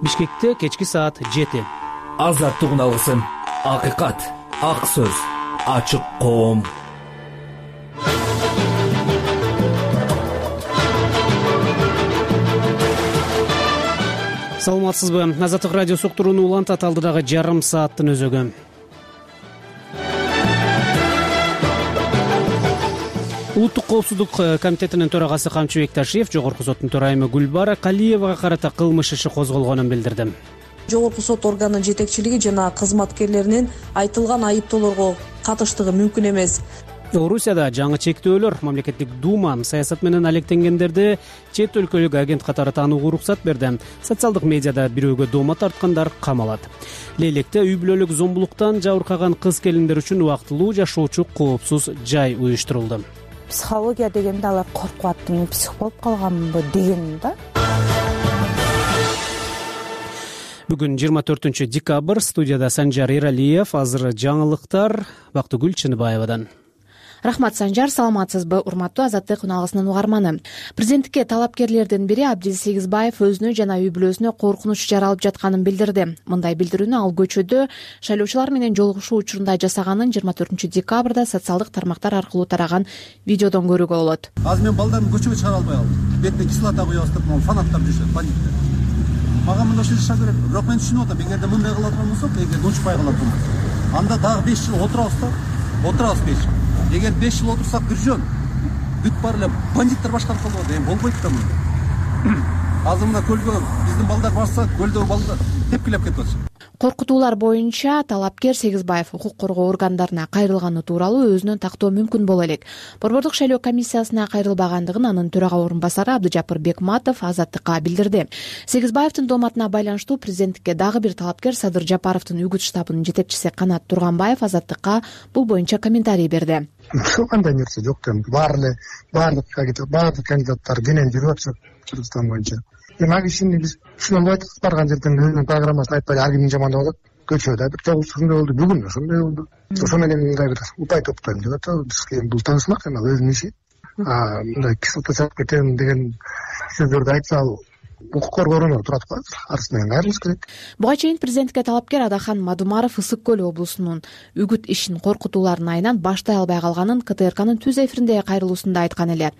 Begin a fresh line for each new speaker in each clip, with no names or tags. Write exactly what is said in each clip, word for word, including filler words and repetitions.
Бишкекте кечки саат жети.
Азаттык алгысым, акыйкат, ак сөз, ачык коом.
Саламатсызбы? Азаттык радио суктурууну улантат алдыдагы жарым сааттын өзөгү. Улуттук коопсуздук комитетинин төрагасы Камчыбек Ташиев Жогорку соттун төрайымы Гүлбара Калиевага карата кылмыш иши козголгонун билдирди.
Жогорку сот органынын жетекчилиги жана кызматкерлеринин айтылган айыптоолорго катыштыгы мүмкүн эмес.
Орусияда жаңы чектөөлөр мамлекеттик дума саясат менен алектенгендерди чет өлкөлүк агент катары таанууга уруксат берди. Социалдык медиада бирөөгө дома тарткандар камалат. Лейлекте үй бүлөлүк зомбулуктан жабыркаган кыз келиндер үчүн убактылуу жашоочу коопсуз жай уюштурулду.
Психология дегенде алар коркуп атты, мен псих болуп калганмынбы деген да.
Бүгүн жыйырма төртүнчү декабрь, студияда Санжар Эралиев, азыр жаңылыктар Бактыгүл Чыныбаевадан.
Рахмат, Санжар, саламатсызбы? Урматтуу Азаттык уналгысынын угарманы. Президенттикке талапкерлердин бири Абдил Сегизбаев өзүнө жана үй бүлөсүнө коркунуч жаралып жатканын билдирди. Мындай билдирүүнү ал көчөдө шайлоочулар менен жолугушуу учурунда жасаганын жыйырма төртүнчү декабрда социалдык тармактар аркылуу тараган видеодон көрүүгө болот.
Азыр мен балдарымды көчөгө чыгара албай калдым. Бетине кислота куябыз деп, могу фанаттап жүрүшөт, бандиттер. Мага мындай жаша керек. Бирок мен түшүнүп атам, эгерде мындай кылат болсок, эгерде учпай калат болсок, анда дагы беш жыл отурабыз да, отурабыз беш жыл. Эгер беш жыл отурсак биржөн бүт бар эле бандиттер башкарып калат, эми болбойт да мындай. Азыр мына көлгө биздин балдар барса, көлдөгү балдар тепкилеп кетип атышат.
Коркутуулар боюнча талапкер Сегизбаев укук коргоо органдарына кайрылганы тууралуу өзүнөн тактоо мүмкүн боло элек. Борбордук шайлоо комиссиясына кайрылбагандыгын анын төрага орун басары Абдыжапыр Бекматов Азаттыкка билдирди. Сегизбаевдин дооматына байланыштуу президенттикке дагы бир талапкер Садыр Жапаровдун үгүт штабынын жетекчиси Канат Турганбаев Азаттыкка бул боюнча комментарий берди.
Андай нерсе жок да, баары эле баардык баардык кандидаттар денен жүрүп атышат Кыргызстан боюнча. Эми ага ишини биз түшүнө албайбыз, барган жерден өзүнүн программасын айтпай ар ким жамандап атат. Көчөдө бир жолу ушундай болду, бүгүн ошондой болду. Ошо менен мындай бир упай топтойм деп атат. Бизге бул таанышмак эми өзүнүн иши. А мындай кислота чыгып кетем деген сөздөрдү айтса, ал укук коргоо органдары турат го, арыз менен кайрылыш керек.
Буга чейин президентке талапкер Адахан Мадумаров Ысык көл облусунун үгүт ишин коркутуулардын айынан баштай албай калганын К Т Р Кнын түз эфириндеги кайрылуусунда айткан эле.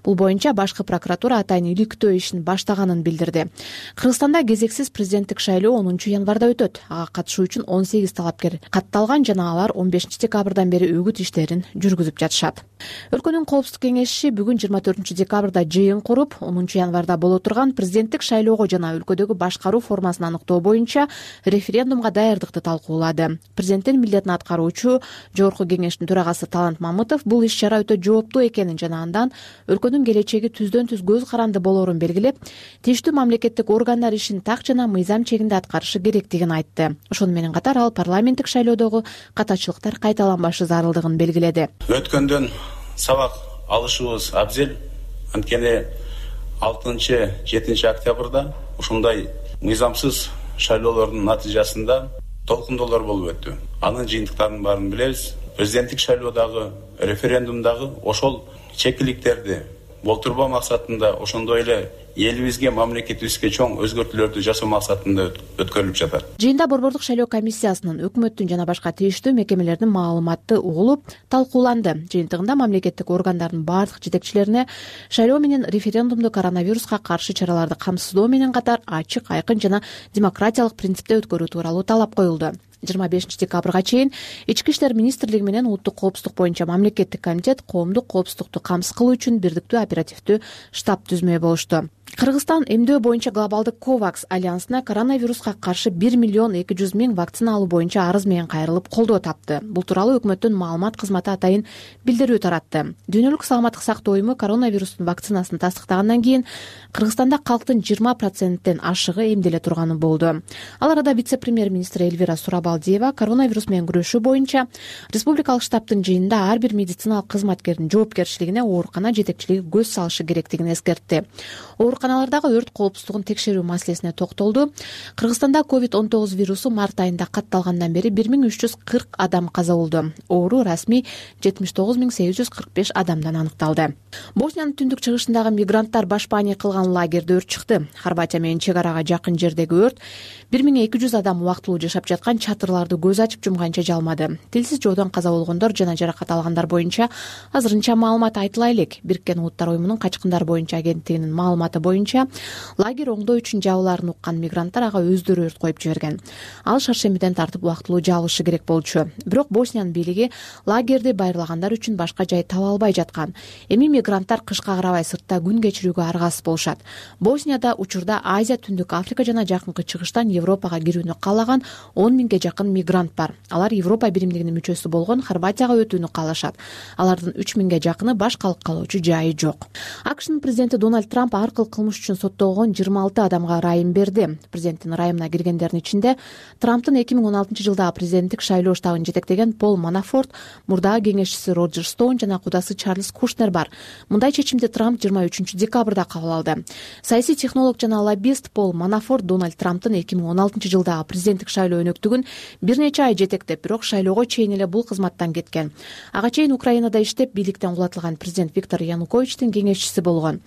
Бул боюнча башкы прокуратура атайын иликтөө ишин баштаганын билдирди. Кыргызстанда кезексиз президенттик шайлоо онунчу январда өтөт. Ага катышуу үчүн он сегиз талапкер катталган жана алар он бешинчи декабрдан бери үгүт иштерин жүргүзүп жатышат. Өлкөнүн коопсуздук кеңеши бүгүн жыйырма төртүнчү декабрда жыйын куруп, онунчу январда боло турган президенттик шайлоого жана өлкөдөгү башкаруу формасын аныктоо боюнча референдумга даярдыкты талкуулады. Президенттин милдетин аткаруучу Жогорку кеңештин төрагасы Талант Мамытов бул иш-чара өтө жооптуу экенин жана андан өлкөнүн келечеги түздөн түз көз каранды болоорун белгилеп, тийиштүү мамлекеттик органдар ишин так жана мыйзам чегинде аткарышы керектигин айтты. Ошону менен катар ал парламенттик шайлоодогу катачылыктар кайталанбашы зарылдыгын белгиледи.
Өткөндөн сабак алышыбыз абзел, анткени алтынчы жетинчи октябрда ушундай мыйзамсыз шайлоолордун натыйжасында толкундоолор болуп өттү. Анын жыйынтыктарынын баарын билебиз. Президенттик шайлоодагы, референдумдагы ошол чекиликтерди болтурбоо максатында, ошондой эле элибизге, мамлекетибизге чоң өзгөртүүлөрдү жасоо максатында өткөрүлүп жатат.
Жыйында борбордук шайлоо комиссиясынын, өкмөттүн жана башка тийиштүү мекемелердин маалыматы угулуп, талкууланды. Жыйынтыгында мамлекеттик органдардын бардык жетекчилерине шайлоо менен референдумду коронавируска каршы чараларды камсыздоо менен катар ачык, айкын жана демократиялык принципте өткөрүү тууралуу талап коюлду. жыйырма бешинчи декабрга чейин Ички иштер министрлиги менен улуттук коопсуздук боюнча мамлекеттик комитет коомдук коопсуздукту камсыз кылуу үчүн бирдиктүү оперативдүү штаб түзмөй болушту. Кыргызстан эмдөө боюнча глобалдык Ковакс альянсына коронавируска каршы бир миллион эки жүз миң вакцина алуу боюнча арыз менен кайрылып колдоо тапты. Бул тууралуу өкмөттүн маалымат кызматы атайын билдирүү таратты. Дүйнөлүк саламаттык сактоо уюму коронавирустун вакцинасын тастыктагандан кийин Кыргызстанда калктын жыйырма проценттен ашыгы эмделе турганы болду. Ал арада вице-премьер-министр Эльвира Сурабай Балдиева коронавирус менен күрөшүү боюнча республикалык штабтын жыйынында ар бир медициналык кызматкердин жоопкерчилигине оорукана жетекчилиги көз салышы керектигин эскертти. Ооруканалардагы өрт коопсуздугун текшерүү маселесине токтолду. Кыргызстанда ковид он тогуз вирусу март айында катталгандан бери бир миң үч жүз кырк адам каза болду. Оору расмий жетимиш тогуз миң сегиз жүз кырк беш адамдан аныкталды. Босниянын түндүк чыгышындагы мигранттар башпаании кылган лагерде өрт чыкты. Хорватия менен чек арага жакын жердеги өрт бир миң эки жүз адам убактылуу жашап жаткан чатырларды көз ачып жумганча жалмады. Тилсиз жоодон каза болгондор жана жаракат алгандар боюнча азырынча маалымат айтыла элек. Бириккен Улуттар уюмунун качкындар боюнча агенттигинин маалыматы боюнча лагерь оңдоо үчүн жабылаарын уккан мигранттар ага өздөрү өрт коюп жиберген. Ал шаршембиден тартып убактылуу жабылышы керек болчу. Бирок Босниянын бийлиги лагерди байырлагандар үчүн башка жай таба албай жаткан. Эми мигранттар кышка карабай сыртта күн кечирүүгө аргасыз болушат. Боснияда учурда Азия, Түндүк Африка жана Жакынкы Чыгыштан Европага кирүүнү каалаган он миңге жакын мигрант бар. Алар Европа биримдигинин мүчөсү болгон Хорватияга өтүүнү каалашат. Алардын үч миңге жакыны баш калып калуучу жайы жок. АКШнын президенти Дональд Трамп ар кыл кылмыш үчүн соттолгон жыйырма алты адамга ырайым берди. Президенттин ырайымына киргендердин ичинде Трамптын эки миң он алтынчы жылдагы президенттик шайлоо штабын жетектеген Пол Манафорт, мурдагы кеңешчиси Роджер Стоун жана кудасы Чарльз Кушнер бар. Мындай чечимди Трамп жыйырма үчүнчү декабрда кабыл алды. Саясий технолог жана лоббист Пол Манафорт Дональд Трамптын эки миң он алтынчы жылдагы президенттик шайлоо өнөктүгүн бир нече ай жетектеп, бирок шайлоого чейин эле бул кызматтан кеткен. Ага чейин Украинада иштеп, бийликтен кулатылган президент Виктор Януковичтин кеңешчиси болгон.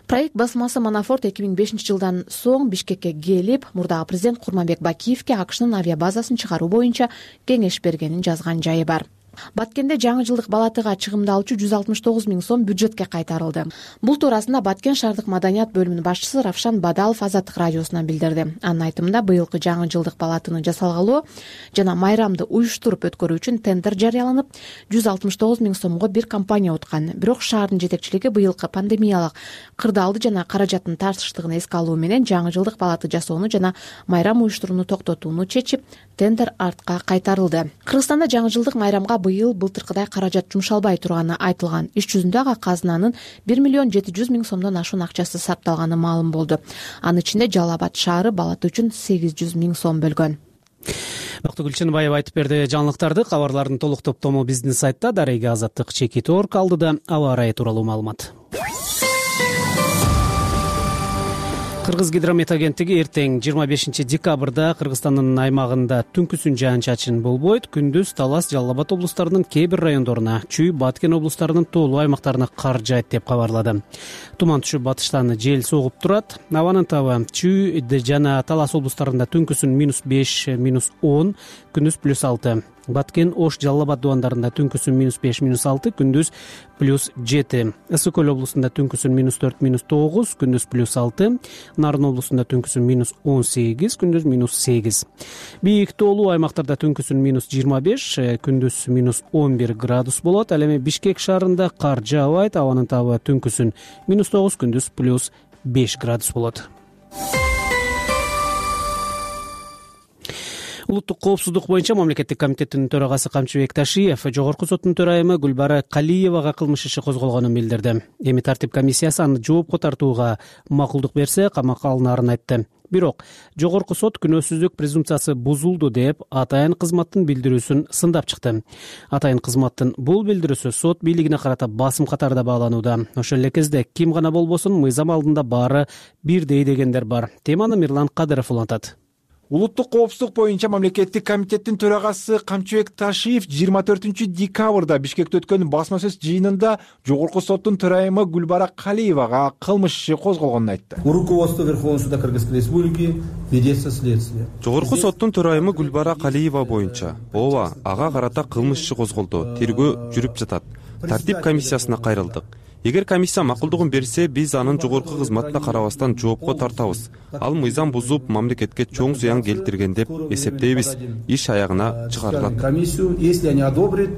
Проект басмасы Манафорт эки миң бешинчи жылдан соң Бишкекке келип, мурдагы президент Курманбек Бакиевке АКШнын авиабазасын чыгаруу боюнча кеңеш бергенин жазган жайы бар. Баткенде жаңы жылдык балатыга чыгымдалуучу жүз алтымыш тогуз миң сом бюджетке кайтарылды. Бул туурасында Баткен шаардык маданият бөлүмүнүн башчысы Равшан Бадалов Азаттык радиосуна билдирди. Анын айтымында быйылкы жаңы жылдык балатыны жасалгалоо жана майрамды уюштуруп өткөрүү үчүн тендер жарыяланып, жүз алтымыш тогуз миң сомго бир компания уткан. Бирок шаардын жетекчилиги быйылкы пандемиялык кырдаалды жана каражаттын тартыштыгын эске алуу менен жаңы жылдык балаты жасоону жана майрам уюштурууну токтотууну чечип, тендер артка кайтарылды. Кыргызстанда жаңы жылдык майрамга быйыл былтыркыдай каражат жумшалбай турганы айтылган. Иш жүзүндө ага казынанын бир миллион жети жүз миң сомдон ашуун акчасы сарпталганы маалым болду. Анын ичинде Жалал Абад шаары балаты үчүн сегиз жүз миң сом бөлгөн.
Доктор Гүлченбаева айтып берди жаңылыктарды. Кабарлардын толук топтому биздин сайтта дареги азаттык чекит орг алдыда аба ырайы тууралуу маалымат. Кыргыз гидромет агенттиги эртең жыйырма бешинчи декабрда Кыргызстандын аймагында түнкүсүн жаан-чачын болбойт, күндүз Талас, Жалал Абад облустарынын кээ бир райондоруна, Чүй, Баткен облустарынын тоолуу аймактарына кар жаайт деп кабарлады. Туман түшүп, батыштан жел согуп турат. Абанын табы Чүй жана Талас облустарында түнкүсүн минус беш, минус он, күндүз плюс алты. Баткен, Ош, Жалал Абад дубандарында түнкүсүн минус беш, минус алты, күндүз плюс жети. Ысык көл облусунда түнкүсүн минус төрт, минус тогуз, күндүз плюс алты. Нарын облусунда түнкүсүн минус он сегиз, күндүз минус сегиз. Бийик тоолуу аймактарда түнкүсүн минус жыйырма беш, күндүз минус он бир градус болот. Ал эми Бишкек шаарында кар жаабайт, абанын табы түнкүсүн минус тогуз, күндүз плюс беш градус болот. Улуттук коопсуздук боюнча мамлекеттик комитеттин төрагасы Камчыбек Ташиев жогорку соттун төрайымы Гүлбара Калиевага кылмыш иши козголгонун билдирди. Эми тартип комиссиясы аны жоопко тартууга макулдук берсе, камакка алынаарын айтты. Бирок жогорку сот күнөөсүздүк презумпциясы бузулду деп атайын кызматтын билдирүүсүн сындап чыкты. Атайын кызматтын бул билдирүүсү сот бийлигине карата басым катарда бааланууда. Ошол эле кезде ким гана болбосун мыйзам алдында баары бирдей дегендер бар. Теманы Мирлан Кадыров улантат.
Улуттук коопсуздук боюнча мамлекеттик комитеттин төрагасы Камчыбек Ташиев жыйырма төртүнчү декабрда Бишкекте өткөн басма сөз жыйынында жогорку соттун төрайымы Гүлбара Калиевага кылмыш иши козголгонун айтты.
Руководство Верховного суда Кыргызской республики ведется следствие.
Жогорку соттун төрайымы Гүлбара Калиева боюнча ооба, ага карата кылмыш иши козголду. Тергөө жүрүп жатат. Тартип комиссиясына кайрылдык. Эгер комиссия макулдугун берсе, биз анын жогорку кызматына карабастан жоопко тартабыз. Ал мыйзам бузуп, мамлекетке чоң зыян келтирген деп эсептейбиз. Иш аягына чыгарылат.
Комиссию, если они одобрят,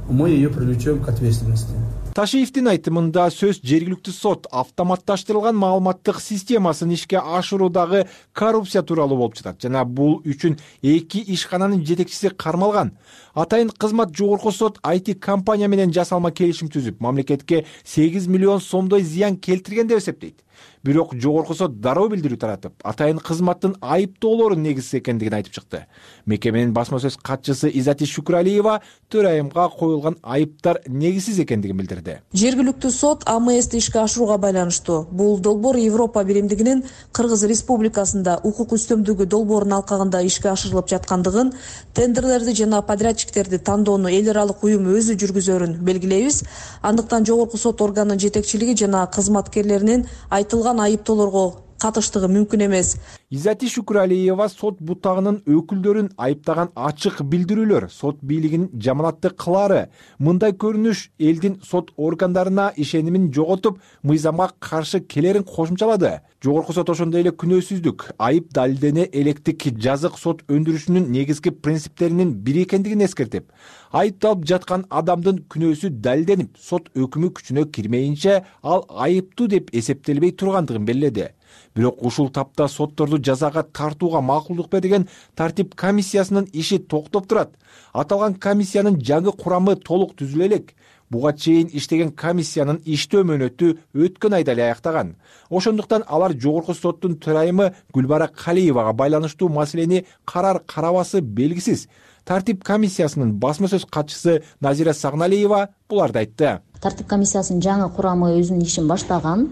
мы ее привлечем к ответственности.
Ташиевдин айтымында сөз жергиликтүү сот автоматташтырылган маалыматтык системасын ишке ашыруудагы коррупция тууралуу болуп жатат жана бул үчүн эки ишкананын жетекчиси кармалган. Атайын кызмат жогорку сот ай ти компания менен жасалма келишим түзүп, мамлекетке сегиз миллион сомдой зыян келтирген деп эсептейт. Бирок жогорку сот дароо билдирүү таратып, атайын кызматтын айыптоолору негизсиз экендигин айтып чыкты. Мекеменин басма сөз катчысы Изати Шукуралиева төрайымга коюлган айыптар негизсиз экендигин билдирди.
Жергиликтүү сот А М Сти ишке ашырууга байланыштуу. Бул долбоор Европа биримдигинин Кыргыз Республикасында укук үстөмдүгү долбоорунун алкагында ишке ашырылып жаткандыгын, тендерлерди жана подрядчиктерди тандоону эл аралык уюм өзү жүргүзөрүн белгилейбиз. Андыктан жогорку сот органынын жетекчилиги жана кызматкерлеринин айтылган айыптоолорго катыштыгы мүмкүн эмес.
Изати Шукуралиева сот бутагынын өкүлдөрүн айыптаган ачык билдирүүлөр сот бийлигинин жаманатты кылаары, мындай көрүнүш элдин сот органдарына ишенимин жоготуп, мыйзамга каршы келерин кошумчалады. Жогорку сот ошондой эле күнөөсүздүк, айып далилдене электик жазык сот өндүрүшүнүн негизги принциптеринин бири экендигин эскертип, айыпталып жаткан адамдын күнөөсү далилденип, сот өкүмү күчүнө кирмейинче ал айыптуу деп эсептелбей тургандыгын белгиледи. Бирок ушул тапта сотторду жазага тартууга макулдук берген тартип комиссиясынын иши токтоп турат. Аталган комиссиянын жаңы курамы толук түзүлө элек. Буга чейин иштеген комиссиянын иштөө мөөнөтү өткөн айда эле аяктаган. Ошондуктан алар жогорку соттун төрайымы Гүлбара Калиевага байланыштуу маселени карар карабасы белгисиз. Тартип комиссиясынын басма сөз катчысы Назира Сагналиева буларды айтты.
Тартип комиссиясынын жаңы курамы өзүнүн ишин баштаган.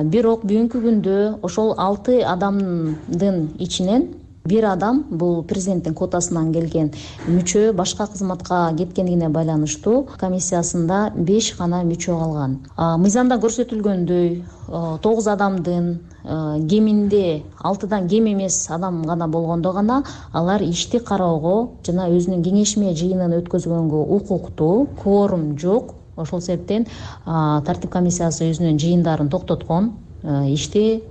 Бирок бүгүнкү күндө ошол алты адамдын ичинен бир адам бул президенттин квотасынан келген мүчө башка кызматка кеткендигине байланыштуу комиссиясында беш гана мүчө калган. Мыйзамда көрсөтүлгөндөй тогуз адамдын кеминде алтыдан кем эмес адам гана болгондо гана алар ишти кароого жана өзүнүн кеңешме жыйынын өткөзгөнгө укуктуу. Кворум жок. Ошол себептен тартип комиссиясы өзүнүн жыйындарын токтоткон, ишти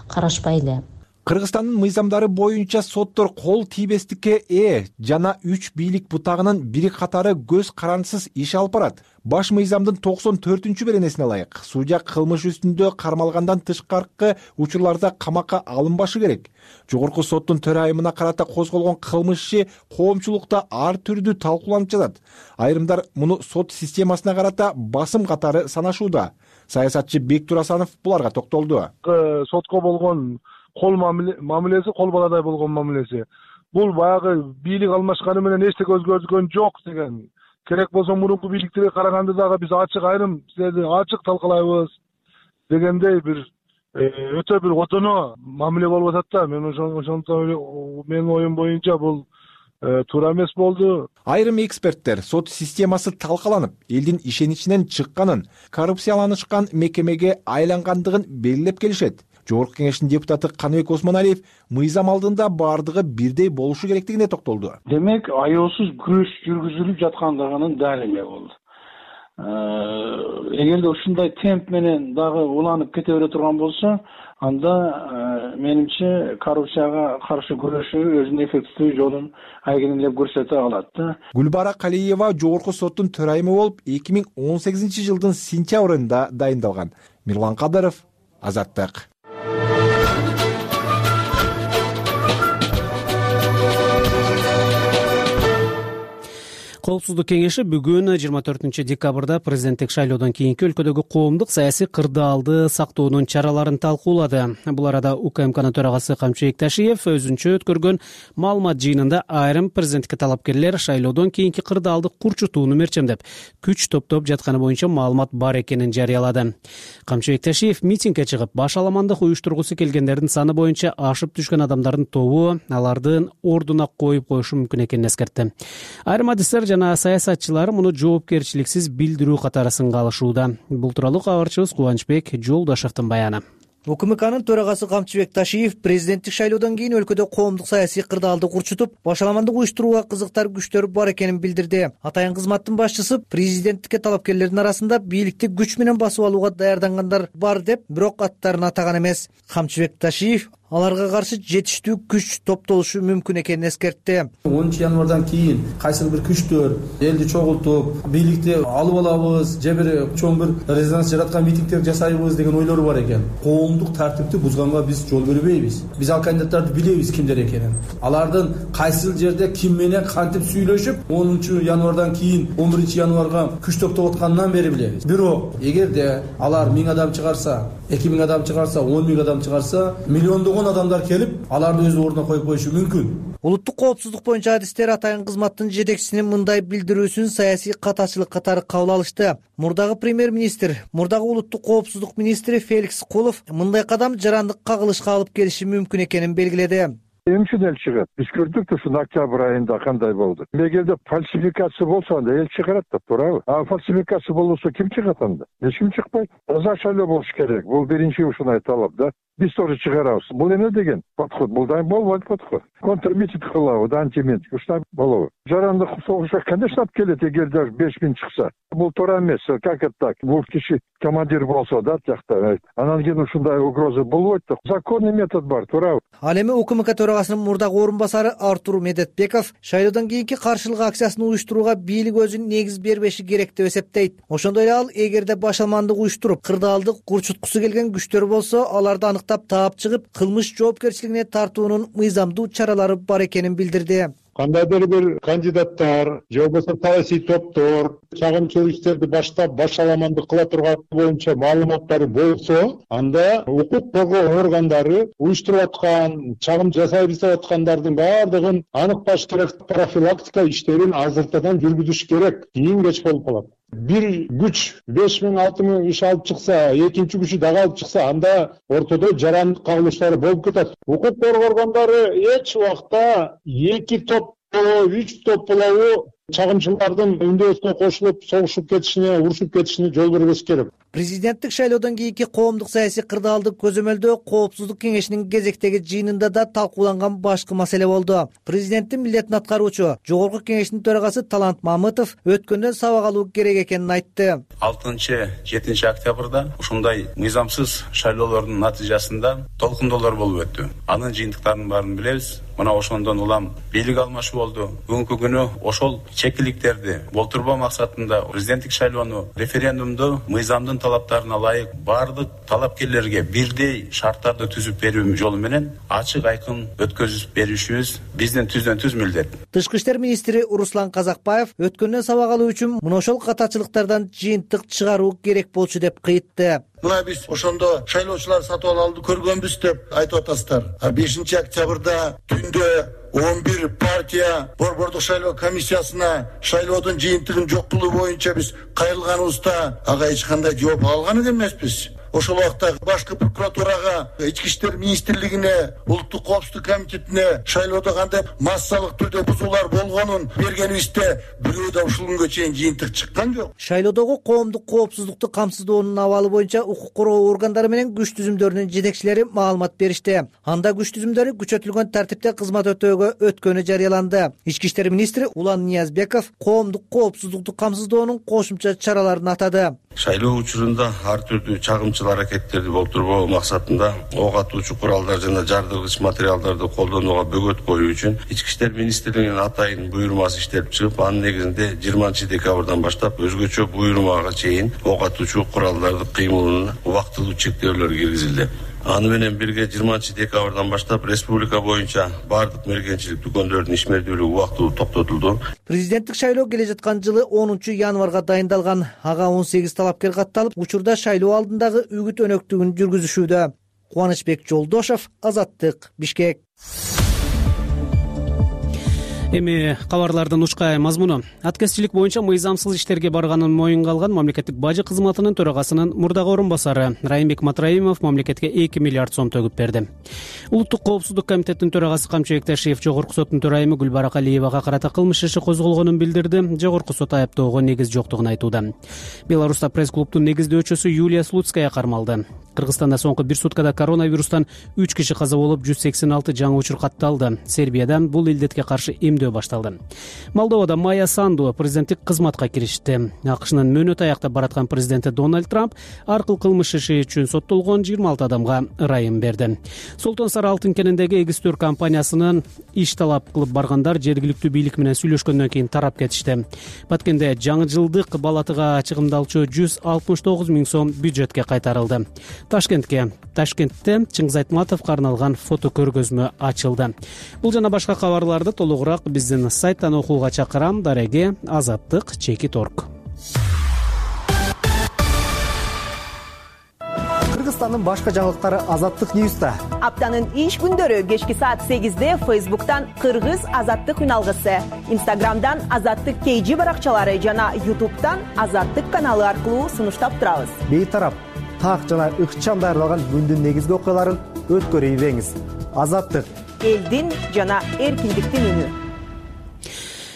карашпай эле.
Кыргызстандын мыйзамдары боюнча соттор кол тийбестикке ээ жана үч бийлик бутагынын бири катары көз карандысыз иш алып барат. Баш мыйзамдын токсон төртүнчү беренесине ылайык, судья кылмыш үстүндө кармалгандан тышкаркы учурларда камакка алынбашы керек. Жогорку соттун төрайымына карата козголгон кылмыш иши коомчулукта ар түрдүү талкууланып жатат. Айрымдар муну сот системасына карата басым катары санашууда. Саясатчы Бектур Асанов буларга токтолду.
Сотко болгон кол мамилеси кол баладай болгон мамилеси. Бул баягы бийлик алмашканы менен эчтеке өзгөргөн жок деген. Керек болсо мурунку бийликтерге караганда дагы биз ачык айрым силерди ачык талкалайбыз дегендей бир өтө бир отоно мамиле болуп атат да. Мен ошондон менин оюм боюнча бул туура эмес болду.
Айрым эксперттер сот системасы талкаланып, элдин ишеничинен чыкканын, коррупцияланышкан мекемеге айлангандыгын белгилеп келишет. Жогорку кеңештин депутаты Каныбек Осмоналиев мыйзам алдында бардыгы бирдей болушу керектигине токтолду.
Демек, аеосуз күрөш жүргүзүлүп жаткандыгынын далили болду. Эгерде ушундай темп менен дагы уланып кете бере турган болсо, анда менимче коррупцияга каршы күрөшүү өзүнүн эффективдүү жолун айгинелеп көрсөтө алат да.
Гүлбара Калиева жогорку соттун төрайымы болуп эки миң он сегизинчи жылдын сентябрында дайындалган. Мирлан Кадыров, Азаттык.
Коопсуздук кеңеши бүгүн жыйырма төртүнчү декабрда президенттик шайлоодон кийинки өлкөдөгү коомдук саясий кырдаалды сактоонун чараларын талкуулады. Бул арада У К М Кнын төрагасы Камчыбек Ташиев өзүнчө өткөргөн маалымат жыйынында айрым президенттикке талапкерлер шайлоодон кийинки кырдаалды курчутууну мерчемдеп, күч топтоп жатканы боюнча маалымат бар экенин жарыялады. Камчыбек Ташиев митингге чыгып, баш аламандык уюштургусу келгендердин саны боюнча ашып түшкөн адамдардын тобу алардын ордуна коюп коюшу мүмкүн экенин эскертти. Айрым адистер жана саясатчылар муну жоопкерчиликсиз билдирүү катары сынга алышууда. Бул тууралуу кабарчыбыз Кубанычбек Жолдошевдун баяны.
У К М Кнын төрагасы Камчыбек Ташиев президенттик шайлоодон кийин өлкөдө коомдук саясий кырдаалды курчутуп, башаламандык уюштурууга кызыктар күчтөр бар экенин билдирди. Атайын кызматтын башчысы президенттикке талапкерлердин арасында бийликти күч менен басып алууга даярдангандар бар деп, бирок аттарын атаган эмес. Камчыбек Ташиев аларга каршы жетиштүү күч топтолушу мүмкүн экенин эскертти.
онунчу январдан кийин кайсыл бир күчтөр элди чогултуп бийликти алып алабыз же бир чоң бир резонанс жараткан митингдер жасайбыз деген ойлору бар экен. Коомдук тартипти бузганга биз жол бербейбиз. Биз ал кандидаттарды билебиз кимдер экенин. Алардын кайсыл жерде ким менен кантип сүйлөшүп онунчу январдан кийин он биринчи январга күч топтоп аткандан бери билебиз. Бирок эгерде алар миң адам чыгарса, эки миң адам чыгарса, он миң адам чыгарса, миллиондогон адамдар келип аларды өз ордуна коюп коюшу мүмкүн.
Улуттук коопсуздук боюнча адистер атайын кызматтын жетекчисинин мындай билдирүүсүн саясий катачылык катары кабыл алышты. Мурдагы премьер-министр, мурдагы улуттук коопсуздук министри Феликс Кулов мындай кадам жарандык кагылышка алып келиши мүмкүн экенин белгиледи.
Эмне үчүн эл чыгат? Биз көрдүк да ушул октябрь айында кандай болду. Эгерде фальсификация болсо анда эл чыгарат да, туурабы? А фальсификация болбосо ким чыгат анда? Эч ким чыкпайт. Таза шайлоо болуш керек. Бул биринчи ушундай талап да. Биз тоже чыгарабыз. Бул эмне деген подход? Бул дайым болбойт подход. Контрмитинг кылабыз, антимитинг. Ушундай болобу? Жарандык согушка кандай штаб келет эгерде беш миң чыкса? Бул туура эмес. Как это так? Бул киши командир болсо да жакта. Анан кийин ушундай угроза болбойт да. Законный метод бар, туурабы?
Ал эми УКМК төрагасынын мурдагы орун басары Артур Медетбеков шайлоодон кийинки каршылык акциясын уюштурууга бийлик өзүн негиз бербеши керек деп эсептейт. Ошондой эле ал эгерде башалмандык уюштуруп, кырдаалдык курчуткусу келген күчтөр болсо, аларды аныктап таап чыгып, кылмыш жоопкерчилигине тартуунун мыйзамдуу чаралары бар экенин билдирди.
Кандайдыр бир кандидаттар же болбосо саясий топтор чагымчылык иштерди баштап башаламандык кыла турган боюнча маалыматтары болсо, анда укук коргоо органдары уюштуруп аткан, чагым жасайбыз деп аткандардын баардыгын аныкташ керек, профилактика иштерин азыртадан жүргүзүш керек. Кийин кеч болуп калат. Бир күч беш миң алты миң иш алып чыкса, экинчи күчү дагы алып чыкса, анда ортодо жарандык кагылыштары болуп кетет. Укук коргоо органдары эч убакта эки топ болобу, үч топ болобу чагымчылардын үндөөсүнө кошулуп, согушуп кетишине, урушуп кетишине жол бербеш керек.
Президенттик шайлоодон кийинки коомдук саясий кырдаалды көзөмөлдөө Коопсуздук кеңешинин кезектеги жыйынында да талкууланган башкы маселе болду. Президенттин милдетин аткаруучу Жогорку кеңештин төрагасы Талант Мамытов өткөндөн сабак алуу керек экенин айтты.
алтынчы жетинчи октябрда ушундай мыйзамсыз шайлоолордун натыйжасында толкундоолор болуп өттү. Анын жыйынтыктарын баарын билебиз. Мына ошондон улам бийлик алмашуу болду. Бүгүнкү күнү ошол чекиликтерди болтурбоо максатында президенттик шайлоону, референдумду мыйзамдын талаптарына ылайык баардык талапкерлерге бирдей шарттарды түзүп берүү жолу менен ачык айкын өткөзүп беришибиз биздин түздөн түз милдет.
Тышкы иштер министри Руслан Казакбаев өткөндөн сабак алуу үчүн мына ошол катачылыктардан жыйынтык чыгаруу керек болчу деп кыйтты.
Мына биз ошондо шайлоочулар сатып алууну көргөнбүз деп айтып атасыздар. бешинчи октябрда түндө он бир партия борбордук шайлоо комиссиясына шайлоодун жыйынтыгын жок кылуу боюнча биз кайрылганыбызда ага эч кандай жооп алган эмеспиз. Ошол убакта башкы прокуратурага, ички иштер министрлигине, улуттук коопсуздук комитетине шайлоодо кандай массалык түрдө бузуулар болгонун бергенибизде бирөө да ушул күнгө чейин жыйынтык чыккан жок.
Шайлоодогу коомдук коопсуздукту камсыздоонун абалы боюнча укук коргоо органдары менен күч түзүмдөрүнүн жетекчилери маалымат беришти. Анда күч түзүмдөрү күчөтүлгөн тартипте кызмат өтөөгө өткөнү жарыяланды. Ички иштер министри Улан Ниязбеков коомдук коопсуздукту камсыздоонун кошумча чараларын атады.
Шайлоо учурунда ар түрдүү чагымчыл аракеттерди болтурбоо максатында ок атуучу куралдар жана жардыргыч материалдарды колдонууга бөгөт коюу үчүн ички иштер министрлигинин атайын буйрумасы иштелип чыгып, анын негизинде жыйырманчы декабрдан баштап өзгөчө буйрумага чейин ок атуучу куралдардын кыймылына убактылуу чектөөлөр киргизилди. Аны менен бирге жыйырманчы декабрдан баштап республика боюнча бардык мергенчилик дүкөндөрдүн ишмердүүлүгү убактылуу токтотулду.
Президенттик шайлоо келе жаткан жылы онунчу январга дайындалган. Ага он сегиз талапкер катталып, учурда шайлоо алдындагы үгүт өнөктүгүн жүргүзүшүүдө. Кубанычбек Жолдошов, Азаттык, Бишкек.
Эми кабарлардын ушкай мазмуну. Аткезчилик боюнча мыйзамсыз иштерге барганын моюнга алган мамлекеттик бажы кызматынын төрагасынын мурдагы орун басары Райымбек Матраимов мамлекетке эки миллиард сом төгүп берди. Улуттук коопсуздук комитетинин төрагасы Камчыбек Ташиев Жогорку соттун төрайымы Гүлбара Калиевага карата кылмыш иши козголгонун билдирди. Жогорку сот айыптоого негиз жоктугун айтууда. Беларуста пресс-клубтун негиздөөчүсү Юлия Слуцкая кармалды. Кыргызстанда соңку бир суткада коронавирустан үч киши каза болуп, жүз сексен алты жаңы учур катталды. Сербияда бул илдетке каршы эмдөө иштөөдө башталды. Молдовада Майя Санду президенттик кызматка киришти. АКШнын мөөнөт аякта бараткан президенти Дональд Трамп аркыл кылмыш иши үчүн соттолгон жыйырма алты адамга ырайым берди. Солтон Сары алтын кенендеги эгизтөр компаниясынын иш талап кылып баргандар жергиликтүү бийлик менен сүйлөшкөндөн кийин тарап кетишти. Баткенде жаңы жылдык балатыга чыгымдалчу жүз алтымыш тогуз миң сом бюджетке кайтарылды. Ташкентке Ташкентте Чыңгыз Айтматовго арналган фото көргөзмө ачылды. Бул жана башка кабарларды толугураак биздин сайттан окууга чакырам. Дареге Азаттык чекит орг.
Кыргызстандын башка жаңылыктары Азаттык Ньюста.
Аптанын иш күндөрү кечки саат сегизде Facebook'тан Кыргыз Азаттык үналгысы, Instagram'дан Азаттык кей жи баракчалары жана YouTube'тан Азаттык каналы аркылуу сунуштап турабыз.
Бейтарап, так жана ыкчам даярдалган күндүн негизги окуяларын өткөрүп ийбеңиз. Азаттык
элдин жана эркиндиктин үнү.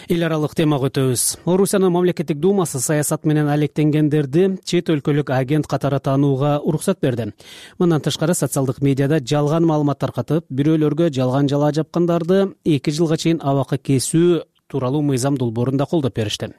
Эл аралык темага өтөбүз. Орусиянын мамлекеттик думасы саясат менен алектенгендерди чет өлкөлүк агент катары таанууга уруксат берди. Мындан тышкары социалдык медиада жалган маалымат таркатып, бирөөлөргө жалган жалаа жапкандарды эки жылга чейин абакка кесүү тууралуу мыйзам долбоорун да колдоп беришти.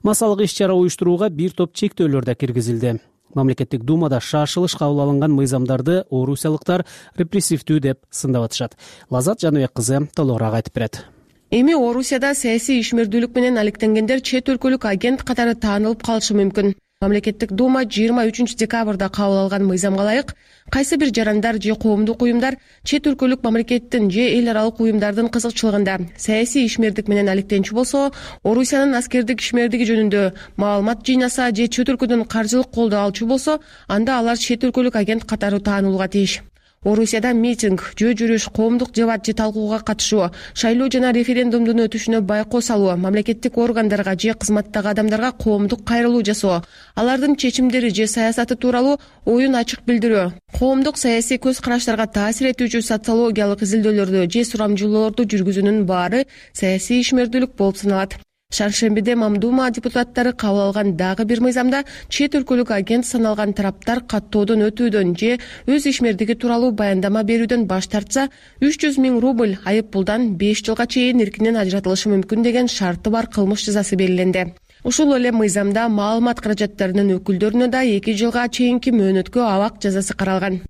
Массалык иш-чара уюштурууга бир топ чектөөлөр да киргизилди. Мамлекеттик думада шашылыш кабыл алынган мыйзамдарды орусиялыктар репрессивдүү деп сындап атышат. Лазат Жаныбек кызы толугураак айтып берет.
Эми Орусияда саясий ишмердүүлүк менен алектенгендер чет өлкөлүк агент катары таанылып калышы мүмкүн. Мамлекеттик дума жыйырма үчүнчү декабрда кабыл алган мыйзамга ылайык кайсы бир жарандар же коомдук уюмдар чет өлкөлүк мамлекеттин же эл аралык уюмдардын кызыкчылыгында саясий ишмердик менен алектенчү болсо, Орусиянын аскердик ишмердиги жөнүндө маалымат жыйнаса же чет өлкөдөн каржылык колдоо алчу болсо, анда алар чет өлкөлүк агент катары таанылууга тийиш. Орусияда митинг, жөө жүрүш, коомдук дебат же талкууга катышуу, шайлоо жана референдумдун өтүшүнө байкоо салуу, мамлекеттик органдарга же кызматтагы адамдарга коомдук кайрылуу жасоо, алардын чечимдери же саясаты тууралуу оюн ачык билдирүү, коомдук саясий көз караштарга таасир этүүчү социологиялык изилдөөлөрдү же сурамжылоолорду жүргүзүүнүн баары саясий ишмердүүлүк болуп саналат. Шаршембиде Мамдума депутаттары кабыл алган дагы бир мыйзамда чет өлкөлүк агент саналган тараптар каттоодон өтүүдөн же өз ишмердиги тууралуу баяндама берүүдөн баш тартса, үч жүз миң рубль айып пулдан беш жылга чейин эркинен ажыратылышы мүмкүн деген шарты бар кылмыш жазасы белгиленди. Ушул эле мыйзамда маалымат каражаттарынын өкүлдөрүнө да эки жылга чейинки мөөнөткө абак жазасы каралган.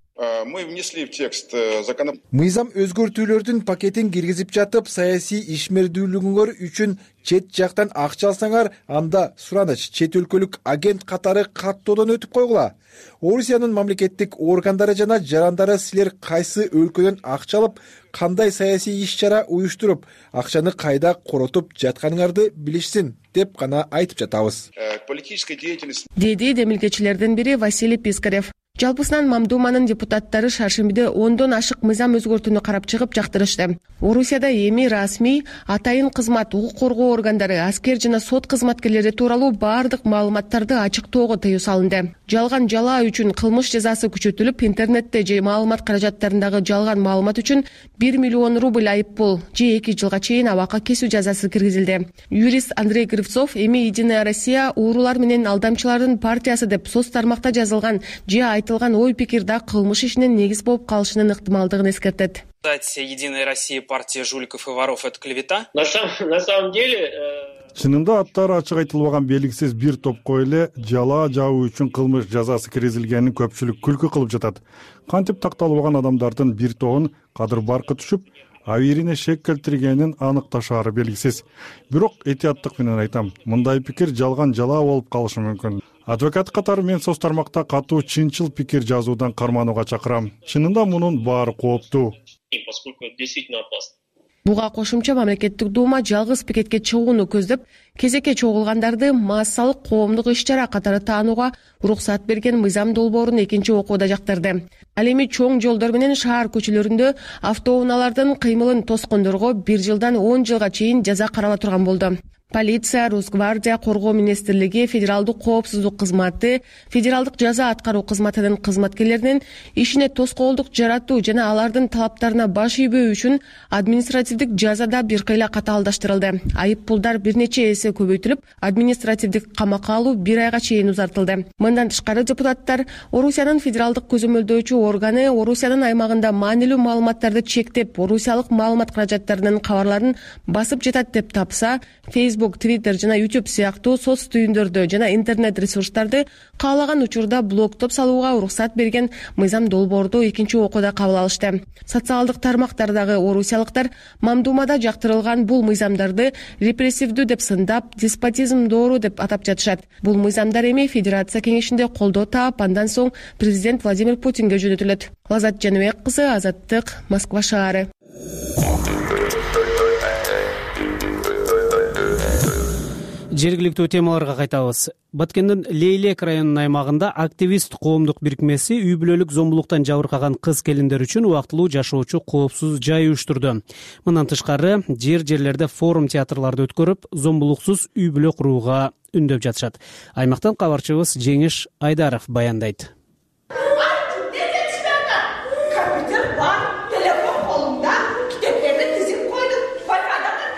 Мы внесли в текст закон.
Мыйзам өзгөртүүлөрдүн пакетин киргизип жатып, саясий ишмердүүлүгүңөр үчүн чет жактан акча алсаңар, анда сураныч чет өлкөлүк агент катары каттоодон өтүп койгула. Орусиянын мамлекеттик органдары жана жарандары силер кайсы өлкөдөн акча алып, кандай саясий иш-чара уюштуруп, акчаны кайда коротуп жатканыңарды билишсин деп гана айтып жатабыз.
Политическая деятельность.
Деди демилгечилердин бири Василий Пискарев. Жалпысынан Мамдуманын депутаттары шаршембиде ондон ашык мыйзам өзгөртүүнү карап чыгып жактырышты. Орусияда эми расмий атайын кызмат, укук коргоо органдары, аскер жана сот кызматкерлери тууралуу баардык маалыматтарды ачыктоого тыюу салынды. Жалган жалаа үчүн кылмыш жазасы күчөтүлүп, интернетте же маалымат каражаттарындагы жалган маалымат үчүн бир миллион рубль айып пул же эки жылга чейин абакка кесүү жазасы киргизилди. Юрист Андрей Кривцов эми Единая Россия уурулар менен алдамчылардын партиясы деп соц тармакта жазылган же айтылган ой пикир да кылмыш ишинин негиз болуп калышынын ыктымалдыгын эскертет.
Единая Россия партия жуликов и воров — это клевета?
На самом, на самом деле...
Чынында аттары ачык айтылбаган белгисиз бир топко эле жалаа жауу үчүн кылмыш жазасы киргизилгенин көпчүлүк күлкү кылып жатат. Кантип такталбаган адамдардын бир тобун кадыр баркы түшүп, абийирине шек келтиргенин аныкташаары белгисиз. Бирок этияттык менен айтам, мындай пикир жалган жалаа болуп калышы мүмкүн. Адвокат катары мен соц тармакта катуу чынчыл пикир жазуудан карманууга чакырам. Чынында мунун баары кооптуу.
Поскольку это действительно опасно.
Буга кошумча мамлекеттик дума жалгыз пикетке чыгууну көздөп, кезекке чогулгандарды массалык коомдук иш-чара катары таанууга уруксат берген мыйзам долбоорун экинчи окууда жактырды. Ал эми чоң жолдор менен шаар көчөлөрүндө автоунаалардын кыймылын тоскондорго бир жылдан он жылга чейин жаза карала турган болду. полиция, Росгвардия, коргоо министрлиги, федералдык коопсуздук кызматы, федералдык жаза аткаруу кызматынын кызматкерлеринин ишине тоскоолдук жаратуу жана алардын талаптарына баш ийбөө үчүн административдик жазада бир кыйла катаалдаштырылды. Айып пулдар бир нече эсе көбөйтүлүп, административдик камакка алуу бир айга чейин узартылды. Мындан тышкары депутаттар Орусиянын федералдык көзөмөлдөөчү органы Орусиянын аймагында маанилүү маалыматтарды чектеп, орусиялык маалымат каражаттарынын кабарларын басып жатат деп тапса, Facebook, Twitter жана YouTube сыяктуу соц түйүндөрдө жана интернет ресурстарды каалаган учурда блоктоп салууга уруксат берген мыйзам долбоорду экинчи окууда кабыл алышты. Социалдык тармактардагы орусиялыктар мамдумада жактырылган бул мыйзамдарды репрессивдүү деп сындап, деспотизм доору деп атап жатышат. Бул мыйзамдар эми Федерация кеңешинде колдоо таап, андан соң президент Владимир Путинге жөнөтүлөт. Лазат Жаныбек кызы, Азаттык, Москва шаары.
Жергиликтүү темаларга кайтабыз. Баткендин Лейлек районунун аймагында активист коомдук бирикмеси үй бүлөлүк зомбулуктан жабыркаган кыз келиндер үчүн убактылуу жашоочу коопсуз жай уюштурду. Мындан тышкары жер-жерлерде форум театрларды өткөрүп, зомбулуксуз үй бүлө курууга үндөп жатышат. Аймактан кабарчыбыз Жеңиш Айдаров баяндайт.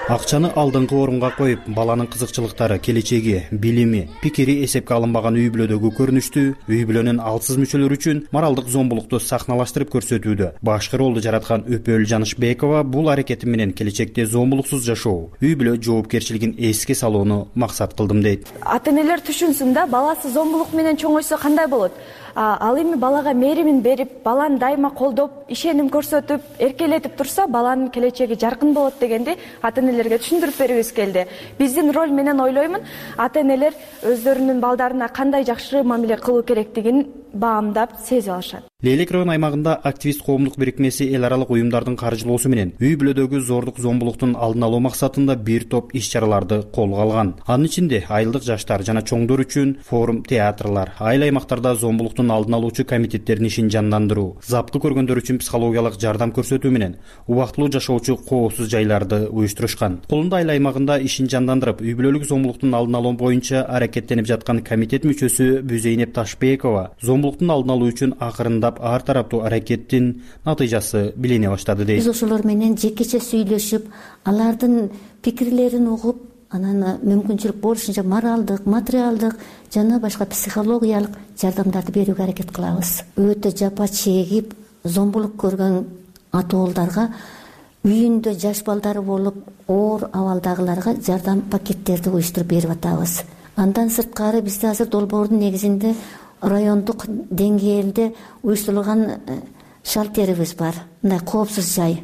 Акчаны алдыңкы орунга коюп, баланын кызыкчылыктары, келечеги, билими, пикири эсепке алынбаган үй бүлөдөгү көрүнүштү үй бүлөнүн алсыз мүчөлөрү үчүн моралдык зомбулукту сахналаштырып көрсөтүүдө. Башкы ролду жараткан Өпөл Жанышбекова бул аракети менен келечекте зомбулуксуз жашоо, үй бүлө жоопкерчилигин эске салууну максат кылдым дейт.
Ата-энелер түшүнсүн да, баласы зомбулук менен чоңойсо кандай болот? Ал эми балага мээримин берип, баланы дайыма колдоп, ишеним көрсөтүп, эркелетип турса, баланын келечеги жаркын болот дегенди ата-энелерге түшүндүрүп бергибиз келди. Биздин роль менен ойлоймун, ата-энелер өздөрүнүн балдарына кандай жакшы мамиле кылуу керектигин баамдап, сезип алышат.
Лейлек район аймагында активист коомдук бирикмеси эл аралык уюмдардын каржылоосу менен үй бүлөдөгү зордук зомбулуктун алдын алуу максатында бир топ иш-чараларды колго алган. Анын ичинде айылдык жаштар жана чоңдор үчүн форум театрлар, айыл аймактарда зомбулуктун алдын алуучу комитеттердин ишин жандандыруу, запкы көргөндөр үчүн психологиялык жардам көрсөтүү менен убактылуу жашоочу коопсуз жайларды уюштурушкан. Колунда айыл аймагында ишин жандандырып, үй бүлөлүк зомбулуктун алдын алуу боюнча аракеттенип жаткан комитет мүчөсү Бүзейнеп Ташбекова зомбулуктун алдын алуу үчүн акырындап ар тараптуу аракеттин натыйжасы билине баштады дейт.
Биз ошолор менен жекече сүйлөшүп, алардын пикирлерин угуп, анан мүмкүнчүлүк болушунча моралдык, материалдык жана башка психологиялык жардамдарды берүүгө аракет кылабыз. Өтө жапа чегип, зомбулук көргөн атоолдарга үйүндө жаш балдары болуп, оор абалдагыларга жардам пакеттерди уюштуруп берип атабыз. Андан сырткары бизде азыр долбоордун негизинде райондук деңгээлде уюштурулган шалтерибиз бар. Мындай коопсуз жай.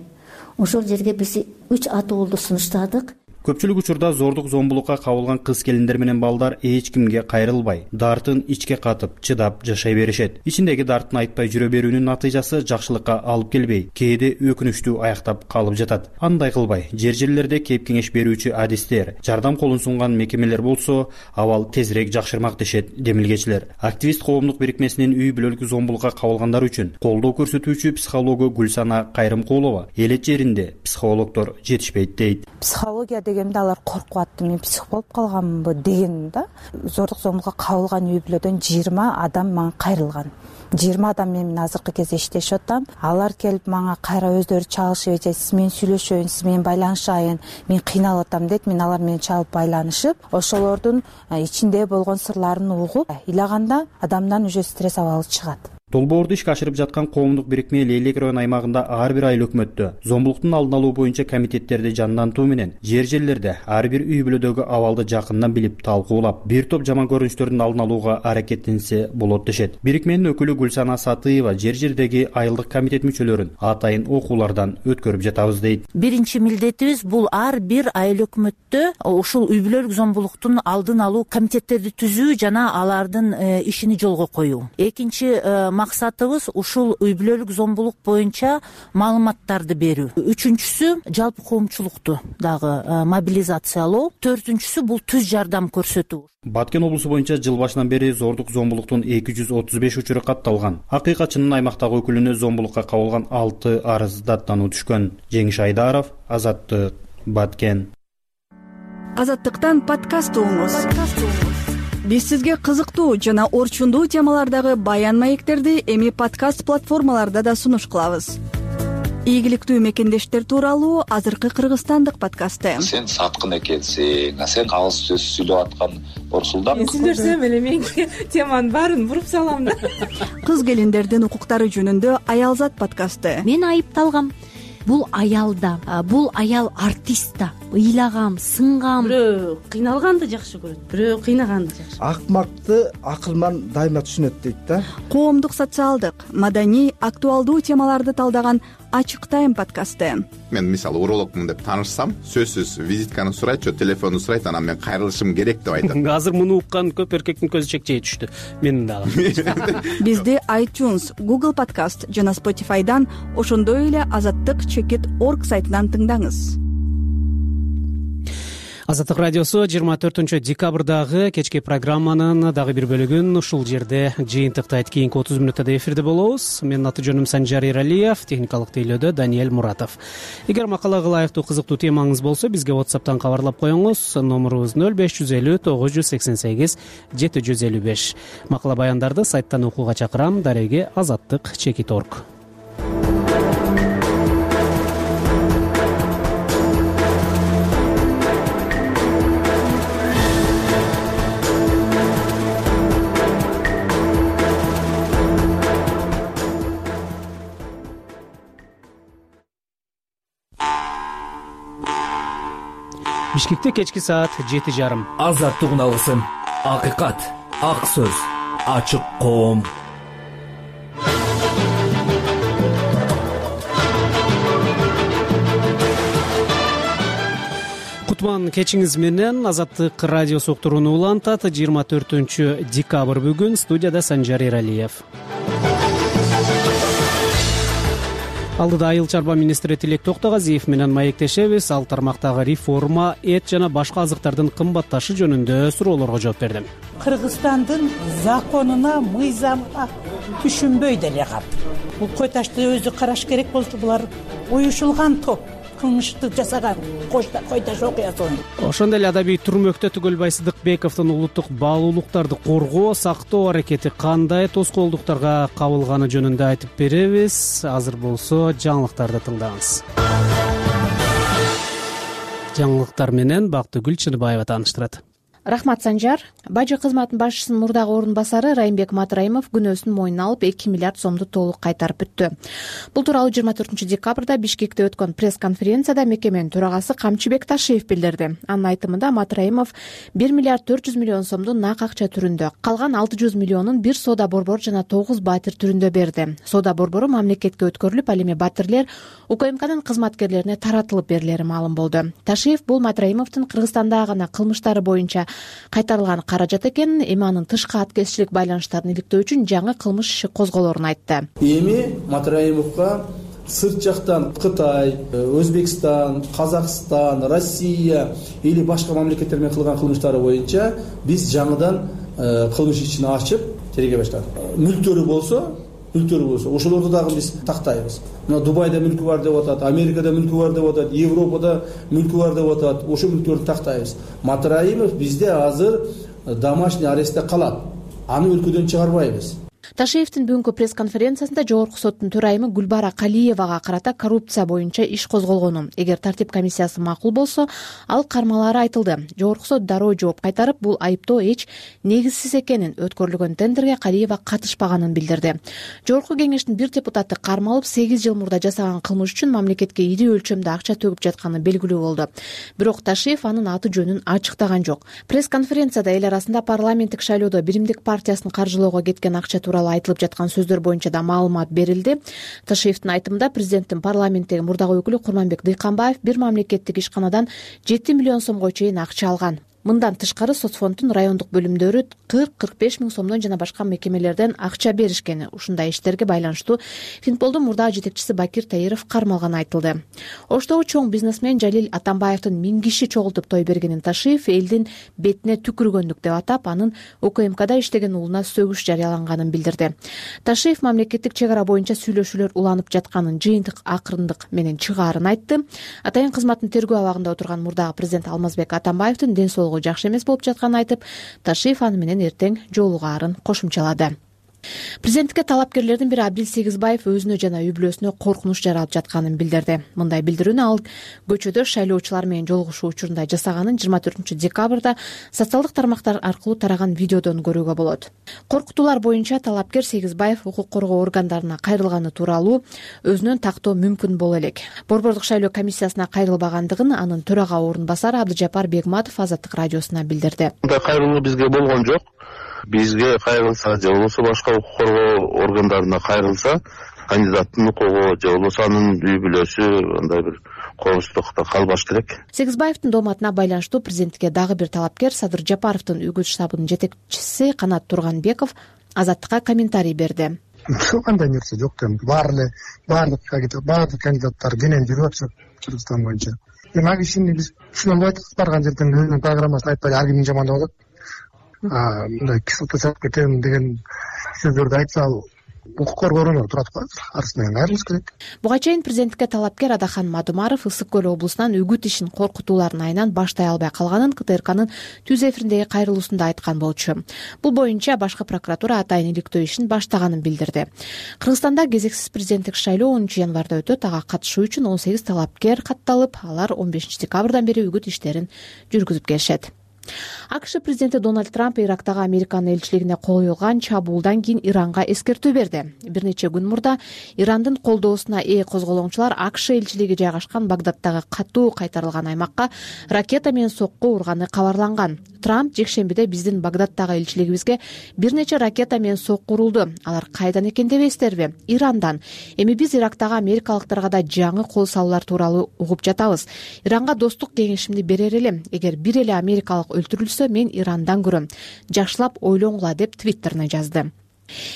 Ошол жерге биз үч атоолду сунуштадык.
Көпчүлүк учурда зордук зомбулукка кабылган кыз келиндер менен балдар эч кимге кайрылбай, дартын ичке катып, чыдап жашай беришет. Ичиндеги дартын айтпай жүрө берүүнүн натыйжасы жакшылыкка алып келбей, кээде өкүнүчтүү аяктап калып жатат. Андай кылбай, жер-жерлерде кеп кеңеш берүүчү адистер, жардам колун сунган мекемелер болсо, абал тезирээк жакшырмак дешет демилгечилер. Активист коомдук бирикмесинин үй бүлөлүк зомбулукка кабылгандар үчүн колдоо көрсөтүүчү психологу Гүлсана Кайрымкулова элет жеринде психологдор жетишпейт дейт.
Психология дегенде алар коркуп атты, мен псих болуп калганмынбы деген да. Зордук зомбулукка кабылган үй бүлөдөн жыйырма адам мага кайрылган. жыйырма адам менен азыркы кезде иштешип атам. Алар келип мага кайра өздөрү чалышып, сиз менен сүйлөшөйүн, сиз менен байланышайын, мен кыйналып атам дейт. Мен алар менен чалып байланышып, ошолордун ичинде болгон сырларын угуп, ыйлаганда адамдан уже стресс абалы чыгат.
Долбоорду ишке ашырып жаткан коомдук бирикме Лейлек район аймагында ар бир айыл өкмөттө зомбулуктун алдын алуу боюнча комитеттерди жандантуу менен жер-жерлерде ар бир үй бүлөдөгү абалды жакындан билип талкуулап, бир топ жаман көрүнүштөрдүн алдын алууга аракеттенсе болот дешет. Бирикменин өкүлү Гүлсана Сатыева жер-жердеги айылдык комитет мүчөлөрүн атайын окуулардан өткөрүп жатабыз дейт.
Биринчи милдетибиз бул ар бир айыл өкмөттө ушул үй бүлөлүк зомбулуктун алдын алуу комитеттерди түзүү жана алардын ишини жолго коюу. Экинчи максатыбыз ушул үй бүлөлүк зомбулук боюнча маалыматтарды берүү. Үчүнчүсү жалпы коомчулукту дагы мобилизациялоо. Төртүнчүсү бул түз жардам көрсөтүү.
Баткен облусу боюнча жыл башынан бери зордук зомбулуктун эки жүз отуз беш учуру катталган. Акыйкатчынын аймактагы өкүлүнө зомбулукка кабылган алты арыз даттануу түшкөн. Жеңиш Айдаров, Азаттык, Баткен.
Азаттыктан подкаст угуңуз. Биз сизге кызыктуу жана орчундуу темалардагы баян маектерди эми подкаст платформаларда да сунуш кылабыз. Ийгиликтүү мекендештер тууралуу азыркы кыргызстандык подкасты.
Сен саткын экенсиң, сен калыс сөз сүйлөп аткан Орсулдан.
Мен сүйлөсөм эле мен теманын баарын буруп салам да.
Кыз келиндердин укуктары жөнүндө Аялзат подкасты.
Мен айыпталгам. Бул аял да, бул аял артист да. Ыйлагам, сынгам.
Бирөө кыйналганды жакшы көрөт, бирөө кыйнаганды жакшы.
Акмакты акылман дайыма түшүнөт дейт да.
Коомдук, социалдык, маданий, актуалдуу темаларды талдаган Ачык тайм подкасты.
Мен мисалы урологмун деп таанышсам, сөзсүз визитканы сурайт, же телефонду сурайт, анан мен кайрылышым керек деп айтат.
Азыр муну уккан көп эркектин көзү чекчей түштү. Менин дагы.
Бизди iTunes, Google Podcast жана Spotify'дан, ошондой эле азаттык чекит точка орг сайтынан тыңдаңыз.
Азаттык радиосу жыйырма төртүнчү декабрдагы кечки программанын дагы бир бөлүгүн ушул жерде жыйынтыктайт. Кийинки отуз мүнөттө эфирде болобуз. Менин аты жөнүм Санжар Эралиев, техникалык тейлөөдө Даниэль Муратов. Эгер макалага ылайыктуу кызыктуу темаңыз болсо, бизге WhatsApp'тан кабарлап коюңуз. Номерубуз нөл беш жүз элүү тогуз жүз сексен сегиз жети жүз элүү беш. Макала баяндарды сайттан окууга чакырам. Дареги азаттык чекит точка орг. Бишкекте кечки саат жети жарым.
Азаттык үналгысын. Акыйкат, ак сөз, ачык коом.
Кутман кечиңиз менен. Азаттык радиосу уктурууну улантат. жыйырма төртүнчү декабрь бүгүн. Студияда Санжар Эралиев. Алдыда Айыл чарба министри Тилек Токтогазиев менен маектешебиз. Ал тармактагы реформа, эт жана башка азыктардын кымбатташы жөнүндө суроолорго жооп берди.
Кыргызстандын законуна, мыйзамына түшүнбөй деле калды. Бул кой ташты өзү караш керек болчу. Булар уюшулган топ, кылмышты жасаган кой таш окуясын.
Ошондой эле адабий түрмөктө Түгөлбай Сыдыкбековдун улуттук баалуулуктарды коргоо, сактоо аракети кандай тоскоолдуктарга кабылганы жөнүндө айтып беребиз. Азыр болсо жаңылыктарды тыңдаңыз. Жаңылыктар менен Бактыгүл Чыныбаева тааныштырат.
Рахмат, Санжар. Бажы кызматынын башчысынын мурдагы орун басары Райымбек Матраимов күнөөсүн мойнуна алып эки миллиард сомду толук кайтарып бүттү. Бул тууралуу жыйырма төртүнчү декабрда Бишкекте өткөн пресс-конференцияда мекеменин төрагасы Камчыбек Ташиев билдирди. Анын айтымында Матраимов бир миллиард төрт жүз миллион сомду нак акча түрүндө, калган алты жүз миллионун бир соода борбор жана тогуз батир түрүндө берди. Соода борбору мамлекетке өткөрүлүп, ал эми батирлер УКМКнын кызматкерлерине таратылып берилери маалым болду. Ташиев бул Матраимовдун Кыргызстанда гана кылмыштары боюнча кайтарылган каражат экенин, эми анын тышкы аткезчилик байланыштарын иликтөө үчүн жаңы кылмыш иши козголоорун айтты.
Эми Матраимовго сырт жактан Кытай, Өзбекстан, Казакстан, Россия или башка мамлекеттер менен кылган кылмыштары боюнча биз жаңыдан кылмыш ишин ачып тергей баштадык. Мүлктөрү болсо мүлктөрү болсо ошолорду дагы биз тактайбыз. Мына Дубайда мүлкү бар деп атат, Америкада мүлкү бар деп атат, Европада мүлкү бар деп атат. Ошол мүлктөрдү тактайбыз. Матраимов бизде азыр домашний арестте калат. Аны өлкөдөн чыгарбайбыз.
Ташиевдин бүгүнкү пресс-конференциясында Жогорку соттун төрайымы Гүлбара Калиевага карата коррупция боюнча иш козголгону, эгер тартип комиссиясы макул болсо, ал кармалаары айтылды. Жогорку сот дароо жооп кайтарып, бул айыптоо эч негизсиз экенин, өткөрүлгөн тендерге Калиева катышпаганын билдирди. Жогорку кеңештин бир депутаты кармалып сегиз жыл мурда жасаган кылмыш үчүн мамлекетке ири өлчөмдө акча төгүп жатканы белгилүү болду. Бирок Ташиев анын аты жөнүн ачыктаган жок. Пресс-конференцияда эл арасында парламенттик шайлоодо Биримдик партиясын каржылоого кеткен акча тууралуу айтылып жаткан сөздөр боюнча да маалымат берилди. Ташиевдин айтымында президенттин парламенттеги мурдагы өкүлү Курманбек Дыйканбаев бир мамлекеттик ишканадан жети миллион сомго чейин акча алган. Мындан тышкары соцфонддун райондук бөлүмдөрү кырк кырк беш миң сомдон жана башка мекемелерден акча беришкени, ушундай иштерге байланыштуу Финполдун мурдагы жетекчиси Бакир Таиров кармалганы айтылды. Оштогу чоң бизнесмен Жалил Атамбаевдин миң киши чогултуп той бергенин Ташиев элдин бетине түкүргөндүк деп атап, анын УКМКда иштеген уулуна сөгүш жарыялаганын билдирди. Ташиев мамлекеттик чек ара боюнча сүйлөшүүлөр уланып жатканын, жыйынтык акырындык менен чыгаарын айтты. Атайын кызматтын тергөө абагында отурган мурдагы президент Алмазбек Атамбаевдин ден соолугу жакшы эмес болуп жатканын айтып, Ташиев аны менен эртең жолугаарын кошумчалады. Президенттикке талапкерлердин бири Абдил Сегизбаев өзүнө жана үй бүлөсүнө коркунуч жаралып жатканын билдирди. Мындай билдирүүнү ал көчөдө шайлоочулар менен жолугушуу учурунда жасаганын жыйырма төртүнчү декабрда социалдык тармактар аркылуу тараган видеодон көрүүгө болот. Коркутуулар боюнча талапкер Сегизбаев укук коргоо органдарына кайрылганы тууралуу өзүнөн тактоо мүмкүн боло элек. Борбордук шайлоо комиссиясына кайрылбагандыгын анын төрага орун басары Абдыжапар Бегматов Азаттык радиосуна билдирди.
Мындай кайрылуу бизге болгон жок. Бизге кайрылса же болбосо башка укук коргоо органдарына кайрылса, кандидаттын укугу же болбосо анын үй бүлөсү андай бир коопсуздукта калбаш керек.
Сегизбаевдин дооматына байланыштуу президенттикке дагы бир талапкер Садыр Жапаровдун үгүт штабынын жетекчиси Канат Турганбеков Азаттыкка комментарий берди.
Кандай нерсе жок да, баары эле баардык баардык кандидаттар кенен жүрүп атышат Кыргызстан боюнча. Эми ал кишини биз түшүнө албайт, барган жерден өзүнүн программасын айтпай ар кимдин жамандап алат. Мындай кислота чалып кетем деген сөздөрдү айтса, ал укук коргоо органы турат го, арасынан кайрылыш керек.
Буга чейин президенттикке талапкер Адахан Мадумаров Ысык көл облусунан үгүт ишин коркутуулардын айынан баштай албай калганын КТРКнын түз эфириндеги кайрылуусунда айткан болчу. Бул боюнча башкы прокуратура атайын иликтөө ишин баштаганын билдирди. Кыргызстанда кезексиз президенттик шайлоо онунчу январда өтөт. Ага катышуу үчүн он сегиз талапкер катталып, алар он бешинчи декабрдан бери үгүт иштерин жүргүзүп келишет. АКШ президенти Дональд Трамп Ирактагы Американын элчилигине коюлган чабуулдан кийин Иранга эскертүү берди. Бир нече күн мурда Ирандын колдоосуна ээ козголоңчулар АКШ элчилиги жайгашкан Багдадтагы катуу кайтарылган аймакка ракета менен сокку урганы кабарланган. Трамп жекшембиде биздин Багдадтагы элчилигибизге бир нече ракета менен сокку урулду. Алар кайдан экен дебейсиздерби? Ирандан. Эми биз Ирактагы америкалыктарга да жаңы кол салуулар тууралуу угуп жатабыз. Иранга достук кеңешимди берер элем. Эгер бир эле америкалык өлтүрүлсө, мен Ирандан көрөм. Жакшылап ойлоңула деп твиттерине жазды.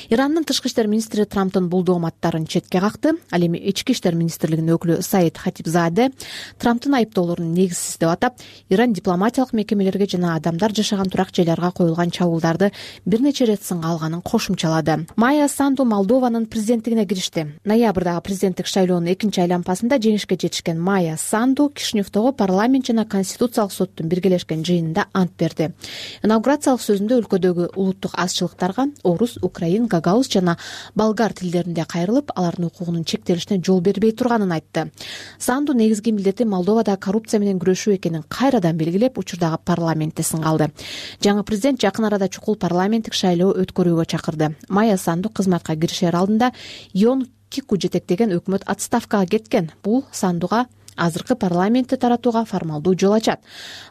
Ирандын тышкы иштер министри Трамптын бул дооматтарын четке какты. Ал эми ички иштер министрлигинин өкүлү Саид Хатибзаде Трамптын айыптоолорун негизсиз деп атап, Иран дипломатиялык мекемелерге жана адамдар жашаган турак жайларга коюлган чабуулдарды бир нече рет сынга алганын кошумчалады. Майя Санду Молдованын президенттигине киришти. Ноябрдагы президенттик шайлоонун экинчи айлампасында жеңишке жетишкен Майя Санду Кишиневдогу парламент жана конституциялык соттун биргелешкен жыйынында ант берди. Инаугурациялык сөзүндө өлкөдөгү улуттук азчылыктарга орус, украин, гагауз жана болгар тилдеринде кайрылып, алардын укугунун чектелишине жол бербей турганын айтты. Санду негизги милдети Молдовада коррупция менен күрөшүү экенин кайрадан белгилеп, учурдагы парламентте сынга алды. Жаңы президент жакын арада чукул парламенттик шайлоо өткөрүүгө чакырды. Майя Санду кызматка киришер алдында Йон Кику жетектеген өкмөт отставкага кеткен. Бул Сандуга азыркы парламентти таратууга формалдуу жол ачат.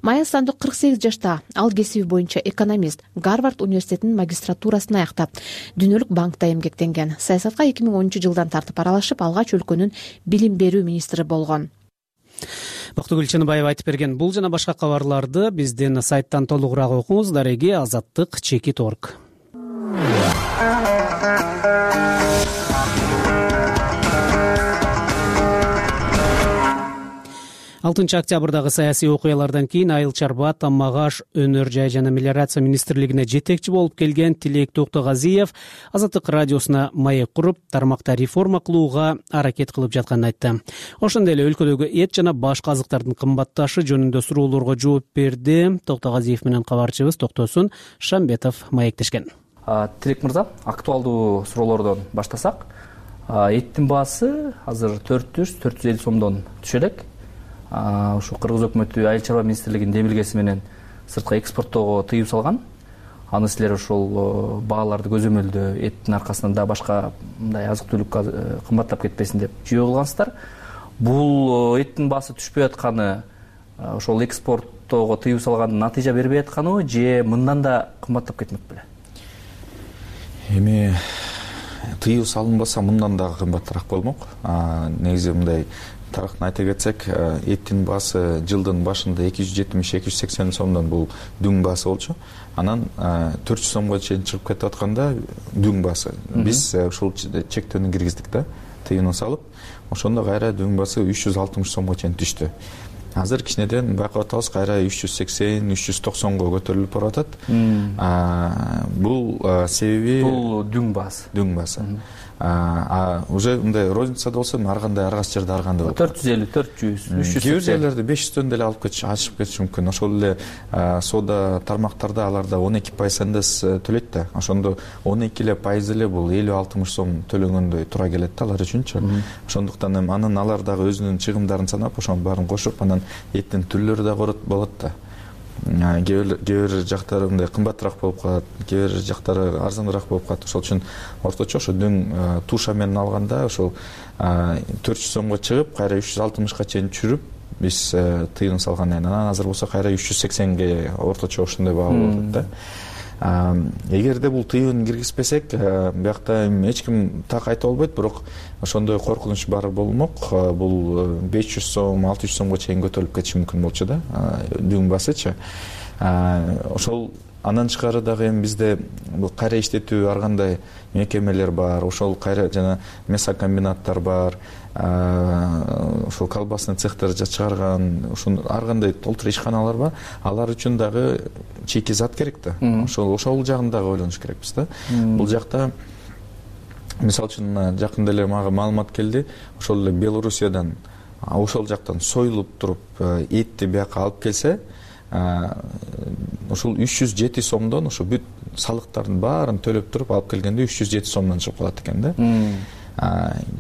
Майя Санду кырк сегиз жашта. Ал кесиби боюнча экономист, Гарвард университетинин магистратурасын аяктап, дүйнөлүк банкта эмгектенген. Саясатка эки миң онунчу жылдан тартып аралашып, алгач өлкөнүн билим берүү министри болгон.
Бактыгүл Чыныбаева айтып берген бул жана башка кабарларды биздин сайттан толугураак окуңуз. Дареги азаттык чекит орг. алтынчы октябрдагы саясий окуялардан кийин Айыл чарба, Тамак аш, өнөр жай жана мелиорация министрлигине жетекчи болуп келген Тилек Токтогазиев Азаттык радиосуна маек куруп, тармакта реформа кылууга аракет кылып жатканын айтты. Ошондой эле өлкөдөгү эт жана башка азыктардын кымбатташы жөнүндө суроолорго жооп берди. Токтогазиев менен кабарчыбыз Токтосун Шамбетов маектешкен.
Тилек мырза, актуалдуу суроолордон баштасак, эттин баасы азыр төрт жүз төрт жүз элүү сомдон түшө элек. Ушу Кыргыз өкмөтү Айыл чарба министрлигинин демилгеси менен сыртка экспорттоого тыюу салган. Аны силер ошол бааларды көзөмөлдөө эттин аркасынан да башка мындай азык-түлүк кымбаттап кетпесин деп жүйө кылгансыздар. Бул эттин баасы түшпөй атканы ошол экспорттоого тыюу салгандын натыйжа бербей атканыбы же мындан да кымбаттап кетмек беле?
Эми тыюу салынбаса мындан дагы кымбатыраак болмок. Негизи мындай тарыхын айта кетсек, эттин баасы жылдын башында эки жүз жетимиш эки жүз сексен сомдон бул дүң баасы болчу. Анан төрт жүз сомго чейин чыгып кетип атканда дүң баасы биз ушул чектөөнү киргиздик да, тыюуну салып. Ошондо кайра дүң баасы үч жүз алтымыш сомго чейин түштү. Азыр кичинеден байкап атабыз, кайра үч жүз сексен үч жүз токсонго көтөрүлүп баратат. Бул себеби
бул дүң баасы.
Дүң баасы. А уже мындай розницада болсо ар кандай ар кайсы жерде ар кандай болот.
төрт жүз элүү, төрт жүз, үч жүз.
Кээ бир жерлерде беш жүздөн деле алып кетиш, ашып кетиши мүмкүн. Ошол эле соода тармактарда аларда он эки пайыз эн дэ эс төлөйт да. Ошондо он эки эле пайыз эле бул элүү алтымыш сом төлөгөндөй туура келет да алар үчүнчү. Ошондуктан эми анын алар дагы өзүнүн чыгымдарын санап, ошонун баарын кошуп, анан эттин түрлөрү да болот да. Кээ бир жактары мындай кымбатыраак болуп калат, кээ бир жактары арзаныраак болуп калат. Ошол үчүн орточо ошо дүң туша менен алганда ошол төрт жүз сомго чыгып, кайра үч жүз алтымышка чейин түшүрүп биз тыюун салгандан кийин анан азыр болсо кайра үч жүз сексенге орточо ошондой баа болуп атат да. Эгерде бул тыюун киргизбесек, биякта эч ким так айта албайт, бирок ошондой коркунуч бар болмок. Бул беш жүз сом, алты жүз сомго чейин көтөрүлүп кетиши мүмкүн болчу да, дүң баасычы. Ошол андан тышкары дагы эми бизде бул кайра иштетүү ар кандай мекемелер бар, ошол кайра жана мясокомбинаттар бар, ошол колбасный цехтер чыгарган, ушун ар кандай толтура ишканалар бар. Алар үчүн дагы чийки зат керек да. Ошол ошол жагын дагы ойлонуш керекпиз да. Бул жакта мисалы үчүн жакында эле мага маалымат келди, ошол эле Белоруссиядан ошол жактан союлуп туруп этти бияка алып келсе, ошол үч жүз жети сомдон ошо бүт салыктардын баарын төлөп туруп алып келгенде үч жүз жети сомдон чыгып калат экен да.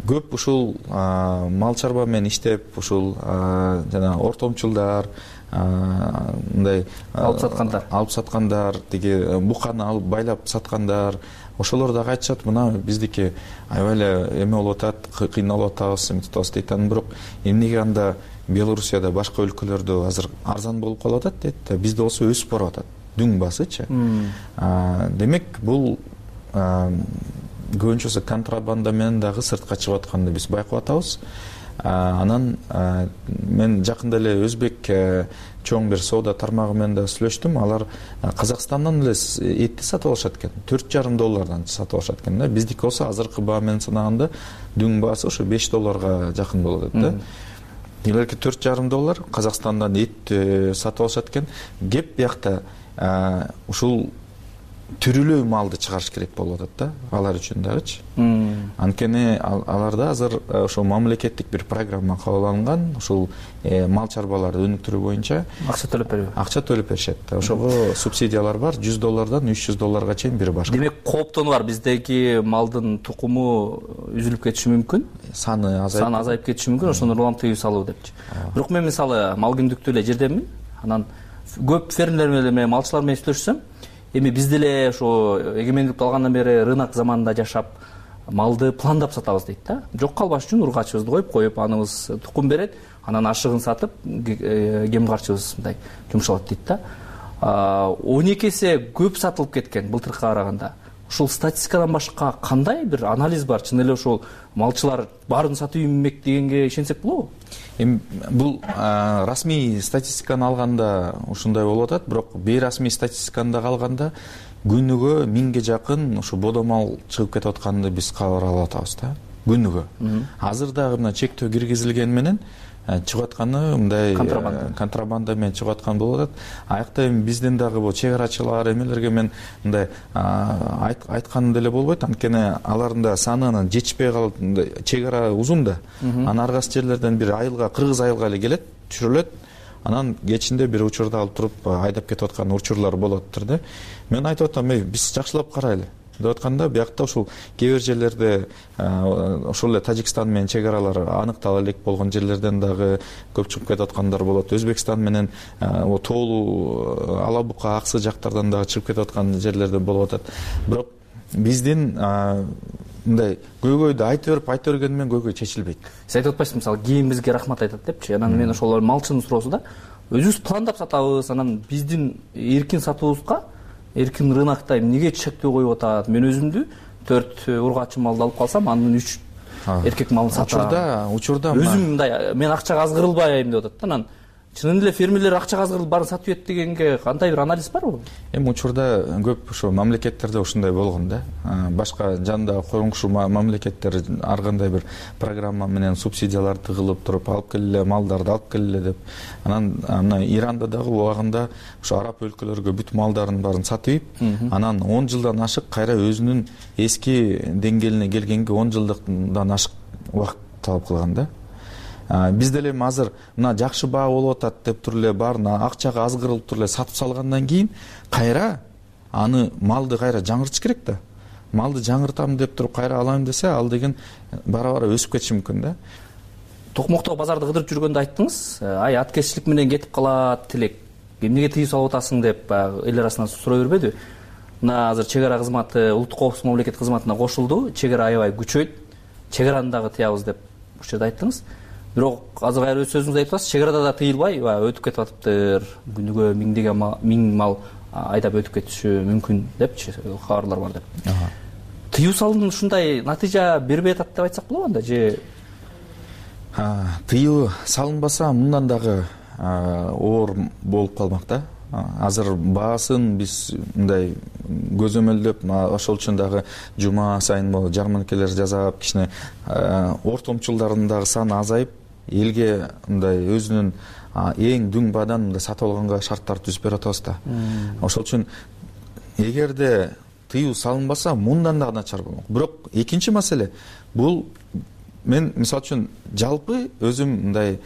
Көп ушул мал чарба менен иштеп, ушул жана ортомчулдар, мындай
алып саткандар,
алып саткандар, тиги буканы алып байлап саткандар, ошолор дагы айтышат, мына биздики аябай эле эме болуп атат, кыйналып атабыз, эметип атабыз дейт. Анан бирок эмнеге анда Белоруссияда, башка өлкөлөрдө азыр арзан болуп калып атат дейт да, бизде болсо өсүп барып атат. Дүң баасычы. Демек бул көбүнчөсү контрабанда менен дагы сыртка чыгып атканды биз байкап атабыз. Анан мен жакында эле өзбек чоң бир соода тармагы менен да сүйлөштүм. Алар Казакстандан эле этти сатып алышат экен. төрт жарым доллардан сатып алышат экен да. Биздики болсо азыркы баа менен санаганда дүң баасы ошо беш долларга жакын болот да. Илерки төрт жарым доллар Казакстандан эт сатып алышат экен. Кеп биякта ушул түрүлүү малды чыгарыш керек болуп атат да, алар үчүн дагычы. Анткени аларда азыр ошол мамлекеттик бир программа кабыл алынган, ушул мал чарбаларды өнүктүрүү боюнча
акча төлөп берүү.
Акча төлөп беришет. Ошого субсидиялар бар, жүз доллардан үч жүз долларга чейин бир башка.
Демек, кооптону бар, биздеги малдын тукуму үзүлүп кетиши мүмкүн.
Саны азайып,
саны азайып кетиши мүмкүн, ошондо улам тыюу салуу депчи. Бирок мен мисалы мал күндүктүү эле жердемин. Анан көп фермерлер менен, малчылар менен сүйлөшсөм, эми биз деле ошо эгемендикти алгандан бери рынок заманында жашап, малды пландап сатабыз дейт да. Жок калбаш үчүн ургачыбызды коюп коюп, аныбыз тукум берет, анан ашыгын сатып, кем карчыбыз мындай жумшалат дейт да. он эки эсе көп сатылып кеткен былтыркыга караганда. Ушул статистикадан башка кандай бир анализ бар? Чын эле ошол малчылар баарын сатып иймек дегенге ишенсек болобу?
Эми бул расмий статистиканы алганда ушундай болуп атат, бирок бейрасмий статистиканы да алганда күнүгө миңге жакын ошо бодо мал чыгып кетип атканды биз кабар алып атабыз да. Күнүгө. Азыр дагы мына чектөө киргизилгени менен чыгып атканы мындай контрабанда менен чыгып аткан болуп атат. Аякта эми биздин дагы бул чек арачылар эмелерге мен мындай айтканым деле болбойт, анткени алардын да саны анан жетишпей калып, чек ара узун да. Анан ар кайсы жерлерден бир айылга, кыргыз айылга эле келет, түшүрүлөт. Анан кечинде бир учурда алып туруп айдап кетип аткан учурлар болуп атыптыр да. Мен айтып атам, биз жакшылап карайлы деп атканда, биякта ушул кээ бир жерлерде ошол эле Тажикстан менен чек аралар аныктала элек болгон жерлерден дагы көп чыгып кетип аткандар болот. Өзбекстан менен Тоолу, Ала Бука, Аксы жактардан дагы чыгып кетип аткан жерлерде болуп атат. Бирок биздин мындай көйгөйдү айта берип айта бергени менен көйгөй чечилбейт.
Сиз айтып атпайсызбы, мисалы кийин бизге рахмат айтат депчи. Анан мен ошол малчынын суроосу да, өзүбүз пландап сатабыз, анан биздин эркин сатуубузга эркин рынокто эмнеге чектөө коюп атат? Мен өзүмдү төрт ургачы малды алып калсам, анын үч эркек малын сатам,
учурда учурда
өзүм мындай мен акчага аз кырылбайм деп атат да. Анан чынын эле фермерлер акчага аз кырылып баарын сатып ийет дегенге кандай бир анализ барбы?
Эми учурда көп ошо мамлекеттерде ушундай болгон да. Башка жанында коңшу мамлекеттер ар кандай бир программа менен субсидиялар тыгылып туруп алып келе малдарды алып келе деп. Анан мына Иранда дагы убагында ошо араб өлкөлөргө бүт малдарын баарын сатып ийип, анан он жылдан ашык кайра өзүнүн эски деңгээлине келгенге он жылдан ашык убакыт талап кылган да. Биз деле эми азыр мына жакшы баа болуп атат деп туруп эле баарына акчага аз кырылып туруп эле сатып салгандан кийин кайра аны малды кайра жаңыртыш керек да. Малды жаңыртам деп туруп кайра алайм десе, ал деген бара бара өсүп кетиши мүмкүн да.
Токмокто базарды кыдырып жүргөндө айттыңыз, ай аткезчилик менен кетип калат тилек, эмнеге тыюу салып атасың деп эл арасынан суроо бербедиби? Мына азыр чек ара кызматы улуттук коопсуздук мамлекеттик кызматына кошулду, чек ара аябай күчөйт, чек араны дагы тыябыз деп ушул жерде айттыңыз. Бирок азыр кайра өз сөзүңүздү айтып атасыз, чек арада да тыйылбай, өтүп кетип атыптыр, күнүгө миңдеген миң мал айдап өтүп кетиши мүмкүн депчи кабарлар бар деп. Тыюу салуунун ушундай натыйжа бербей атат деп айтсак болобу анда же?
Тыюу салынбаса мындан дагы оор болуп калмак да. Азыр баасын биз мындай көзөмөлдөп, ошол үчүн дагы жума сайын могу жарманкелер жасап, кичине ортомчулдардын дагы саны азайып, элге мындай өзүнүн эң дүң баадан мындай сатып алганга шарттар түзүп берип атабыз да. Ошол үчүн эгерде тыюу салынбаса мындан дагы начар болмок. Бирок экинчи маселе бул, мен мисалы үчүн жалпы өзүм мындай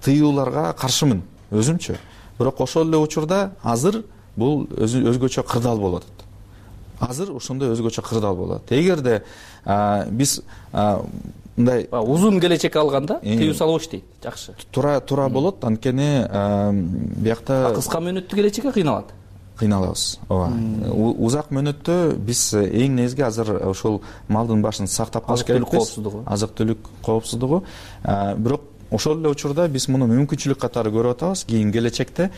тыюуларга каршымын өзүмчү. Бирок ошол эле учурда азыр бул өзгөчө кырдаал болуп атат. Азыр ошондой өзгөчө кырдаал болуп атат. Эгерде биз мындай
узун келечек алганда тыюу салып иштейт, жакшы.
Туура туура болот, анткени биякта
кыска мөөнөттүү келечекке кыйналат.
Кыйналабыз. Ооба. Узак мөөнөттө биз эң негизги азыр ошол малдын башын сактап калыш керекпиз. Азык-түлүк коопсуздугу. Бирок ошол эле учурда биз муну мүмкүнчүлүк катары көрүп атабыз. Кийин келечекте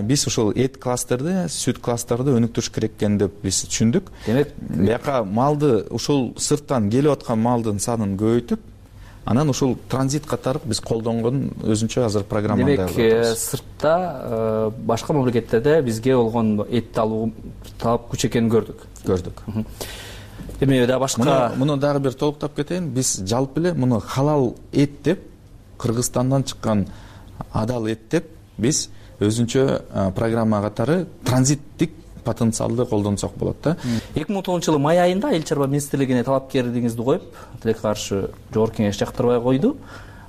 биз ошол эт кластерди, сүт кластерди өнүктүрүш керек экен деп биз түшүндүк.
Демек,
бияка малды ушул сырттан келип аткан малдын санын көбөйтүп, анан ушул транзит катары биз колдонгон өзүнчө азыр программа дайындап
атабыз. Демек, сыртта башка мамлекеттерде бизге болгон этти алуу талап күч экенин көрдүк.
Көрдүк.
Эми да башка
муну дагы бир толуктап кетейин. Биз жалпы эле муну халал эт деп, Кыргызстандан чыккан адал эт деп биз өзүнчө программа катары транзиттик потенциалды колдонсок болот да.
эки миң он тогузунчу жылы май айында эл чарба министрлигине талапкерлигиңизди коюп, тилекке каршы жогорку кеңеш жактырбай койду.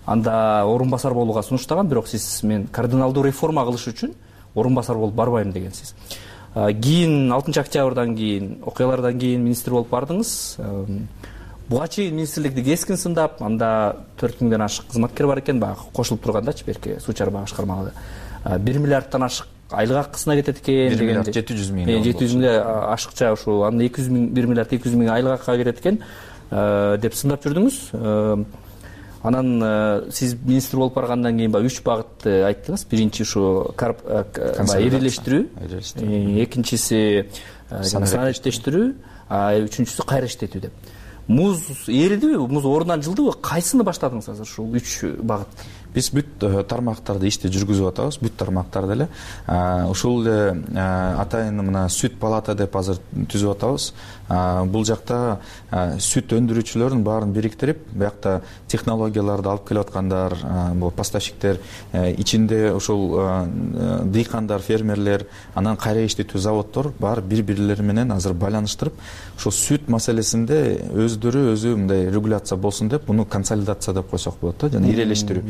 Анда орун басар болууга сунуштаган, бирок сиз мен кардиналдуу реформа кылыш үчүн орун басар болуп барбайм дегенсиз. Кийин алтынчы октябрдан кийин, окуялардан кийин министр болуп бардыңыз. Буга чейин министрликти кескин сындап, анда төрт миңден ашык кызматкер бар экен, баягы кошулуп тургандачы берки суу чарба башкармалары. бир миллиардтан ашык айлык акысына кетет экен деген.
жети жүз миң.
жети жүз миң ашыкча ушул, анда эки жүз миң, бир миллиард эки жүз миң айлык акыга кетет экен деп сындап жүрдүңүз. Анан сиз министр болуп баргандан кийин баягы үч багытты айттыңыз. Биринчи ушу ирилештирүү, экинчиси санариштештирүү, үчүнчүсү кайра иштетүү деп. Муз эридиби, муз ордунан жылдыбы? Кайсыны баштадыңыз азыр ушул үч багыт?
Биз бүт тармактарды ишти жүргүзүп атабыз, бүт тармактарды эле. Ушул эле атайын мына сүт палата деп азыр түзүп атабыз. Бул жакта сүт өндүрүүчүлөрдүн баарын бириктирип, биякта технологияларды алып келип аткандар, бул поставщиктер, ичинде ушул дыйкандар, фермерлер, анан кайра иштетүү заводдор бар бири-бирлери менен азыр байланыштырып, ошол сүт маселесинде өздөрү өзү мындай регуляция болсун деп, буну консолидация деп койсок болот да, жана ирелештирүү.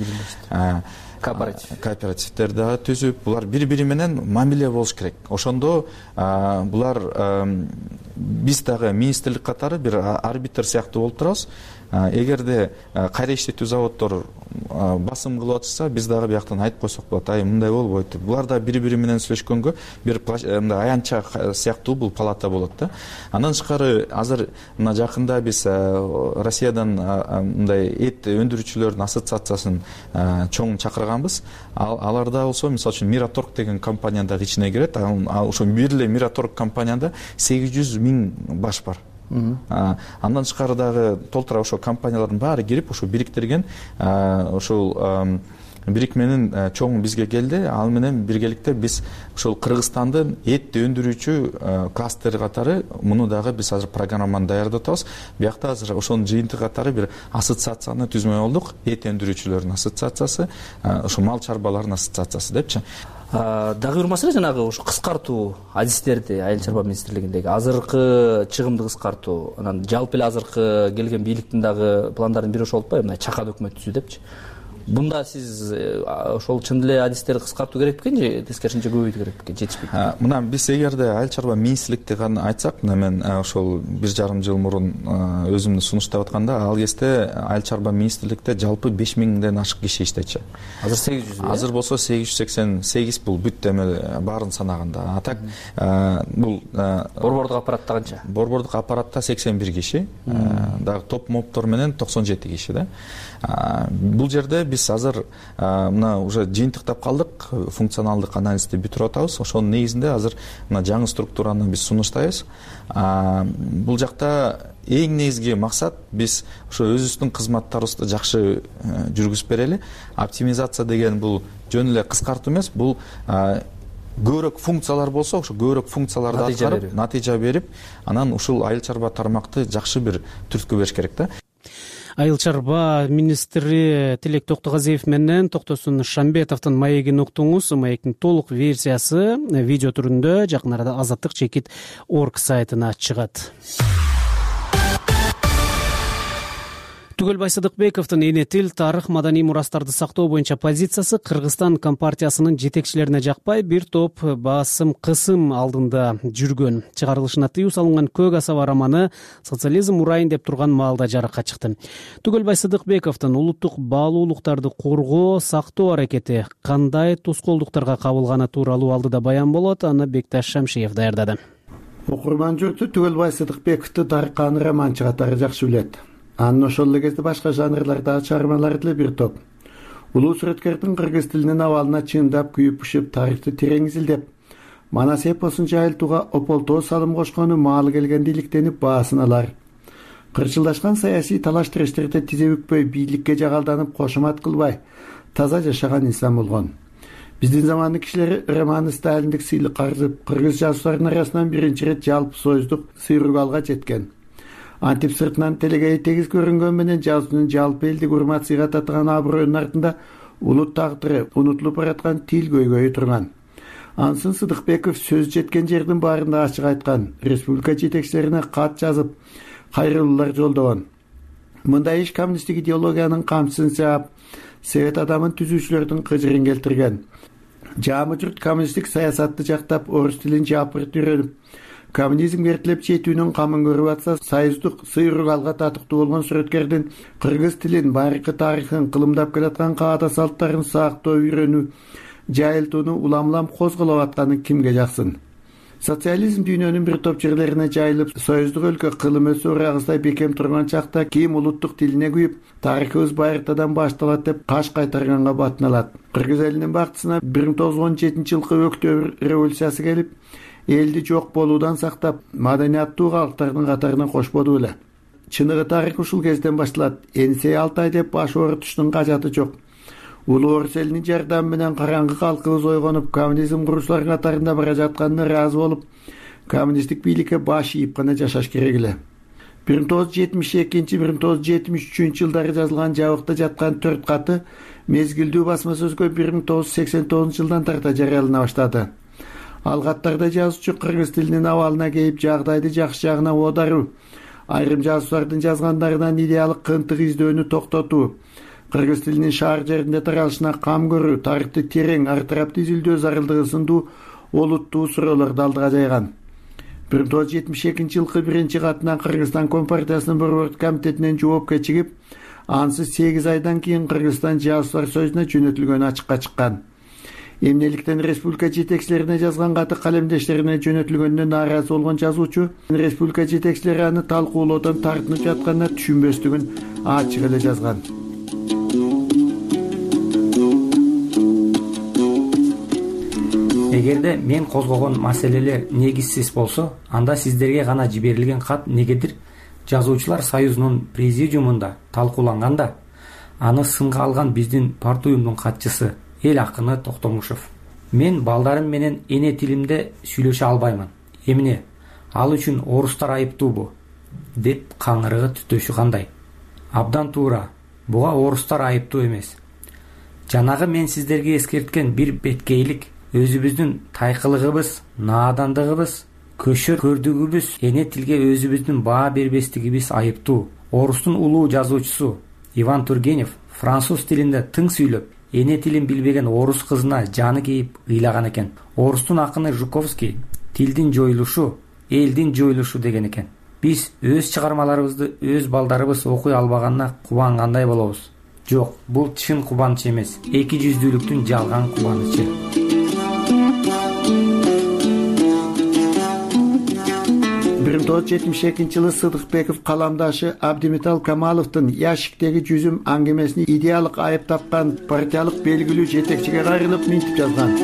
Кооператив.
Кооперативдер дагы түзүп, булар бири-бири менен мамиле болуш керек. Ошондо булар биз дагы министрлик катары бир арбитр сыяктуу болуп турабыз. Эгерде кайра иштетүү заводдор басым кылып атышса, биз дагы бияктан айтып койсок болот, ай мындай болбойт деп. Булар да бири-бири менен сүйлөшкөнгө бир мындай аянтча сыяктуу бул палата болот да. Андан тышкары азыр мына жакында биз Россиядан мындай эт өндүрүүчүлөрдүн ассоциациясын чоң чакырганбыз. Аларда болсо, мисалы үчүн Мираторг деген компания дагы ичине кирет. Ал ошо бир эле Мираторг компанияда сегиз жүз миң баш бар. Андан тышкары дагы толтура ошо компаниялардын баары кирип ошо бириктирген ошол бирикменин чоңу бизге келди. Ал менен биргеликте биз ошол Кыргызстандын эт өндүрүүчү кластери катары муну дагы биз азыр программаны даярдап атабыз. Биякта азыр ошонун жыйынтыгы катары бир ассоциацияны түзмөй болдук. Эт өндүрүүчүлөрдүн ассоциациясы, ошо мал чарбаларынын ассоциациясы депчи.
Дагы бир маселе жанагы ошо кыскартуу адистерди Айыл чарба министрлигиндеги азыркы чыгымды кыскартуу, анан жалпы эле азыркы келген бийликтин дагы пландарын бири ошол болуп атпайбы, мына чакан өкмөт түзүү депчи. Бунда сиз ошол чын эле адистерди кыскартуу керек бекен же тескерисинче көбөйтүү керек бекен, жетишпейт?
Мына биз эгерде Айыл чарба министрликти гана айтсак, мына мен ошол бир жарым жыл мурун өзүмдү сунуштап атканда, ал кезде Айыл чарба министрликте жалпы беш миңден ашык киши иштечи.
Азыр сегиз жүз.
Азыр болсо сегиз жүз сексен сегиз, бул бүт эме баарын санаганда. А так бул
борбордук аппаратта канча?
Борбордук аппаратта сексен бир киши, дагы топ моптор менен токсон жети киши да. Бул жерде биз азыр мына уже жыйынтыктап калдык, функционалдык анализди бүтүрүп атабыз. Ошонун негизинде азыр мына жаңы структураны биз сунуштайбыз. Бул жакта эң негизги максат биз ошо өзүбүздүн кызматтарыбызды жакшы жүргүзүп берели. Оптимизация деген бул жөн эле кыскартуу эмес, бул көбүрөөк функциялар болсо, ошо көбүрөөк функцияларды аткарып, натыйжа берип, анан ушул айыл чарба тармакты жакшы бир түрткү бериш керек да.
Айыл чарба министри Тилек Токтогазиев менен Токтосун Шамбетовдун маегин уктуңуз. Маектин толук версиясы видео түрүндө жакын арада Азаттык чекит орг сайтына чыгат. Түгөлбай Сыдыкбековдун эне тил, тарых, маданий мурастарды сактоо боюнча позициясы Кыргызстан компартиясынын жетекчилерине жакпай, бир топ басым кысым алдында жүргөн. Чыгарылышына тыюу салынган Көк асаба романы социализм урайын деп турган маалда жарыкка чыкты. Түгөлбай Сыдыкбековдун улуттук баалуулуктарды коргоо, сактоо аракети кандай тоскоолдуктарга кабылганы тууралуу алдыда баян болот. Аны Бекташ Шамшиев даярдады.
Окурман журту Түгөлбай Сыдыкбековду тарыхкан романчы катары жакшы билет. Анын ошол эле кезде башка жанрлардагы чыгармалары деле бир топ. Улуу сүрөткөрдүн кыргыз тилинин абалына чындап күйүп-пышып, тарыхты терең изилдеп, манас эпосун жайылтууга ополтоо салым кошкону маалы келгенде иликтенип баасын алар. Кырчылдашкан саясий талаш-тирештерде тизе бүкпөй, бийликке жагалданып, кошумат кылбай, таза жашаган инсан болгон. Биздин замандын кишилери романы сталиндик сыйлык каржып, кыргыз жазуучуларынын арасынан биринчи ирет жалпы союздук сыйругалга жеткен. Антип сыртынан телегей тегиз көрүнгөн менен жазуучунун жалпы элдик урмат-сыйга татыган аброюнун артында улут тагдыры, унутулуп бараткан тил көйгөйү турган. Ансын Сыдыкбеков сөз жеткен жердин баарында ачык айткан, республика жетекчилерине кат жазып, кайрылуулар жолдогон. Мындай иш коммунисттик идеологиянын камчысын саап, совет адамын түзүүчүлөрдүн кыжырын келтирген. Жаамы журт коммунисттик саясатты жактап, орус тилин жапырт үйрөнүп, коммунизм эртелеп жетүүнүн камын көрүп атса, союздук сыйругалга татыктуу болгон сүрөткөрдүн кыргыз тилин, байыркы тарыхын, кылымдап келаткан каада салттарын сактоо, үйрөнүү, жайылтууну улам-улам козголоп атканы кимге жаксын? Социализм дүйнөнүн бир топ жерлерине жайылып, союздук өлкө кылым өсө урагыздай бекем турган чакта ким улуттук тилине күйүп, тарыхыбыз байыртадан башталат деп каш кайтарганга батыналат. Кыргыз элинин бактысына бир миң тогуз жүз он жетинчи жылкы Октябрь революциясы келип, элди жок болуудан сактап, маданияттуу калктардын катарына кошподу беле. Чыныгы тарых ушул кезден башталат. Энсей Алтай деп баш оорутуштун кажаты жок. Улуу орус элинин жардамы менен караңгы калкыбыз ойгонуп, коммунизм куруучулар катарында бара жатканына ыраазы болуп, коммунисттик бийликке баш ийип гана жашаш керек эле. бир миң тогуз жүз жетимиш экинчи — бир миң тогуз жүз жетимиш үчүнчү жылдары жазылган жабыкта жаткан төрт каты мезгилдүү басма сөзгө бир миң тогуз жүз сексен тогузунчу жылдан тарта жарыялана баштады. Ал каттарда жазуучу кыргыз тилинин абалына кейип, жагдайды жакшы жагына оодаруу, айрым жазуучулардын жазгандарынан идеялык кынтык издөөнү токтотуу, кыргыз тилинин шаар жеринде таралышына кам көрүү, тарыхты терең, ар тарапты изилдөө зарылдыгы сындуу олуттуу суроолорду алдыга жайган. бир миң тогуз жүз жетимиш экинчи жылкы биринчи катынан Кыргызстан Компартиясынын борбордук комитетинен жоопко чыгып, ансыз сегиз айдан кийин Кыргызстан жазуучулар союзуна жөнөтүлгөнү ачыкка чыккан. Эмнеликтен республика жетекчилерине жазган каты калемдештерине жөнөтүлгөнүнө нааразы болгон жазуучу республика жетекчилери аны талкуулоодон тартынып жатканына түшүнбөстүгүн ачык эле жазган.
эгерде мен козгогон маселелер негизсиз болсо, анда сиздерге гана жиберилген кат негедир Жазуучулар союзунун президиумунда талкууланганда аны сынга алган биздин партуюмдун катчысы эл акыны Токтомушев: мен балдарым менен эне тилимде сүйлөшө албаймын. Эмне? Ал үчүн орустар айыптуубу? Деп каңырыгы түтөшү кандай? Абдан туура. Буга орустар айыптуу эмес. Жанагы мен сиздерге эскерткен бир беткейлик өзүбүздүн тайкылыгыбыз, наадандыгыбыз, көшөр көрдүгүбүз, эне тилге өзүбүздүн баа бербестигибиз айыптуу. Орустун улуу жазуучусу Иван Тургенев француз тилинде тың сүйлөп, эне тилин билбеген орус кызына жаны кейип ыйлаган экен. Орустун акыны Жуковский тилдин жоюлушу элдин жоюлушу деген экен. Биз өз чыгармаларыбызды өз балдарыбыз окуй албаганына кубангандай болобуз. Жок, бул чын кубаныч эмес, эки жүздүүлүктүн жалган кубанычы.
бир миң тогуз жүз жетимиш экинчи жылы Сыдыкбеков каламдашы Абдимитал Камаловдун Яшиктеги жүзүм аңгемесини идеялык айып тапкан партиялык белгилүү жетекчиге кайрылып минтип жазган.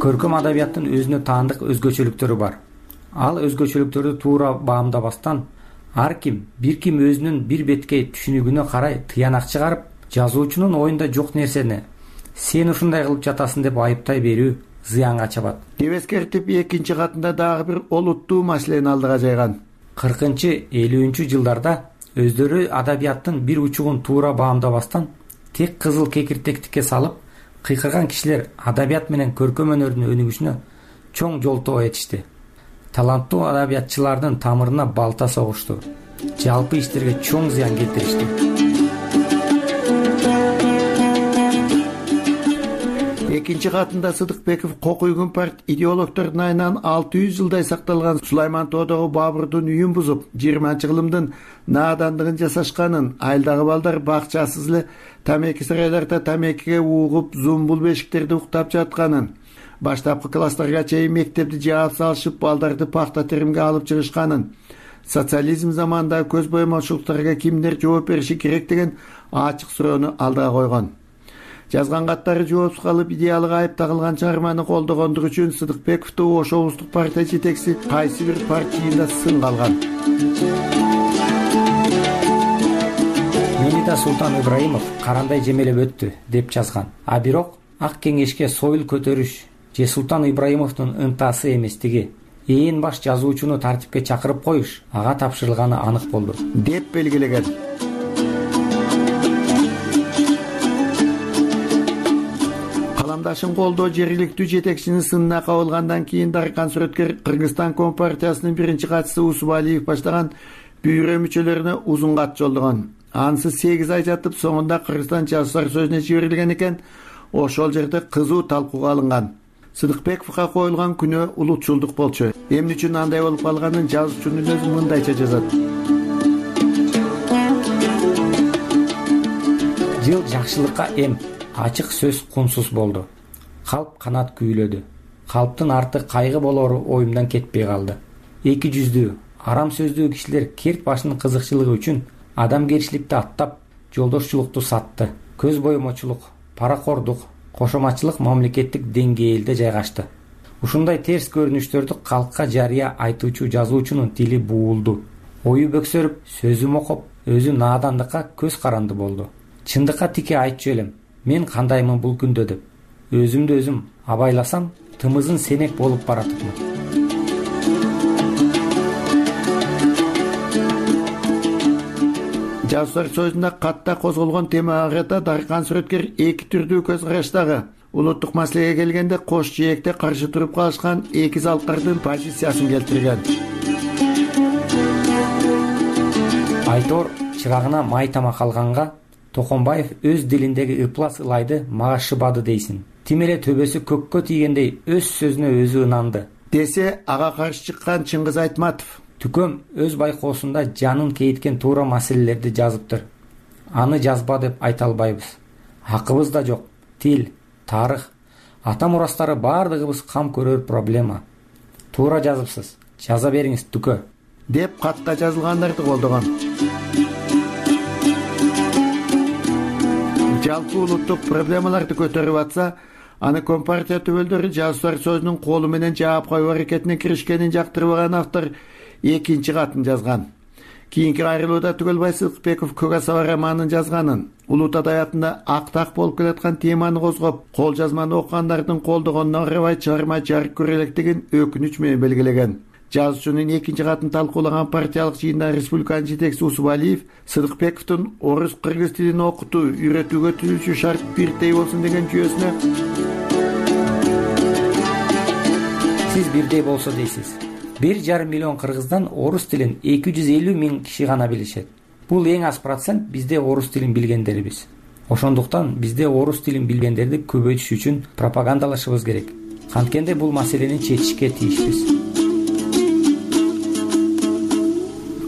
Көркөм адабияттын өзүнө таандык өзгөчөлүктөрү бар. Ал өзгөчөлүктөрдү туура баамдабастан ар ким, бир ким өзүнүн бир беткей түшүнүгүнө карай тыянак чыгарып, жазуучунун оюнда жок нерсени сен ушундай кылып жатасың деп айыптай берүү зыянга чабат.
Деп эскертип, экинчи катында дагы бир олуттуу маселени алдыга жайган.
кыркынчы элүүнчү жылдарда өздөрү адабияттын бир учугун туура баамдабастан тек кызыл кекиртектикке салып, кыйкырган кишилер адабият менен көркөм өнөрдүн өнүгүшүнө чоң жолтоо этишти. Таланттуу адабиятчылардын тамырына балта согушту. Жалпы иштерге чоң зыян келтиришти.
Экинчи катында Сыдыкбеков Кокуйгун парт идеологдордун айынан алты жүз жылдай сакталган Сулайман Тоодогу Бабурдун үйүн бузуп, жыйырманчы кылымдын наадандыгын жасашканын, айылдагы балдар бакчасыз эле тамеки сарайларда тамекиге угуп, зумбул бешиктерде уктап жатканын, баштапкы класстарга чейин мектепти жаап салышып, балдарды пахта теримге алып чыгышканын, социализм заманында көз боемочулуктарга кимдер жооп бериши керек деген ачык суроону алдыга койгон. Жазган каттары жоопсуз калып, идеялык айып тагылган чыгарманы колдогондугу үчүн Сыдыкбековду Ош облустук партия жетекчиси кайсы бир парт жыйында сынга алган.
Мени да Султан Ибраимов карандай жемелеп өттү деп жазган. А бирок ак кеңешке союл көтөрүш же Султан Ибраимовдун ынтасы эместиги, ээн баш жазуучуну тартипке чакырып коюш ага тапшырылганы анык болду
деп белгилеген. Каламдашын колдоо жергиликтүү жетекчинин сынына кабылгандан кийин Даркан Сүрөткер Кыргызстан Компартиясынын биринчи катчысы Усубалиев баштаган бюро мүчөлөрүнө узун кат жолдогон. Анысы сегиз ай жатып, соңунда Кыргызстан Жазуучулар сөзүнө жиберилген экен. Ошол жерде кызуу талкууга алынган. Сыдыкбековго коюлган күнөө улутчулдук болчу. Эмне үчүн андай болуп калганын жазуучунун өзү мындайча жазат.
Жыл жакшылыкка эм, ачык сөз кунсуз болду. Калп канат күүлөдү. Калптын арты кайгы болору оюмдан кетпей калды. Эки жүздүү, арам сөздүү кишилер керт башынын кызыкчылыгы үчүн адамгерчиликти аттап, жолдошчулукту сатты. Көз боемочулук, паракордук, кошоматчылык мамлекеттик деңгээлде жайгашты. Ушундай терс көрүнүштөрдү калкка жарыя айтуучу жазуучунун тили буулду. Ою бөксөрүп, сөзү мокоп, өзү наадандыкка көз каранды болду. Чындыкка тике айтчу элем, мен кандаймын бул күндө деп. Өзүмдү өзүм абайласам, тымызын семек болуп баратыпмын.
Жазуучулар сөзүндө катта козголгон темага карата Даркан Сүрөткер эки түрдүү көз караштагы. Улуттук маселеге келгенде кош жээкте каршы туруп калышкан эки залкардын позициясын келтирген.
Айтор чырагына май тамак алганга Токонбаев өз дилиндеги ыплас ылайды мага шыбады дейсин. Тим эле төбөсү көккө тийгендей өз сөзүнө өзү ынанды
десе, ага каршы чыккан Чыңгыз Айтматов:
Түкөм өз байкоосунда жанын кейиткен туура маселелерди жазыптыр. Аны жазба деп айта албайбыз. Акыбыз да жок. Тил, тарых, ата мурастары бардыгыбыз кам көрөр проблема. Туура жазыпсыз. Жаза бериңиз, Түкө
деп катта жазылгандарды колдогон. жалпы улуттук проблемаларды көтөрүп атса, аны компартия төбөлдөрү жазуучулар сөзүнүн колу менен жаап коюу аракетине киришкенин жактырбаган автор экинчи катын жазган. Кийинки айрылууда Түгөлбай Сыдыкбеков Көк асаба романын жазганын, улут адаятында актак болуп келаткан теманы козгоп, кол жазманы окугандардын колдогонуна карабай чыгарма жарык көрө электигин өкүнүч менен белгилеген. Жазуучунун экинчи катын талкуулаган партиялык жыйында республиканын жетекчиси Усубалиев Сыдыкбековдун орус кыргыз тилин окутуу, үйрөтүүгө түзүлүшү шарт бирдей болсун деген жүйөсүнө
сиз бирдей болсо дейсиз. Бир жарым миллион кыргыздан орус тилин эки жүз элүү миң киши гана билишет. Бул эң аз процент бизде орус тилин билгендерибиз. Ошондуктан бизде орус тилин билгендерди көбөйтүш үчүн пропагандалашыбыз керек. Анткенде бул маселени чечишке тийишпиз.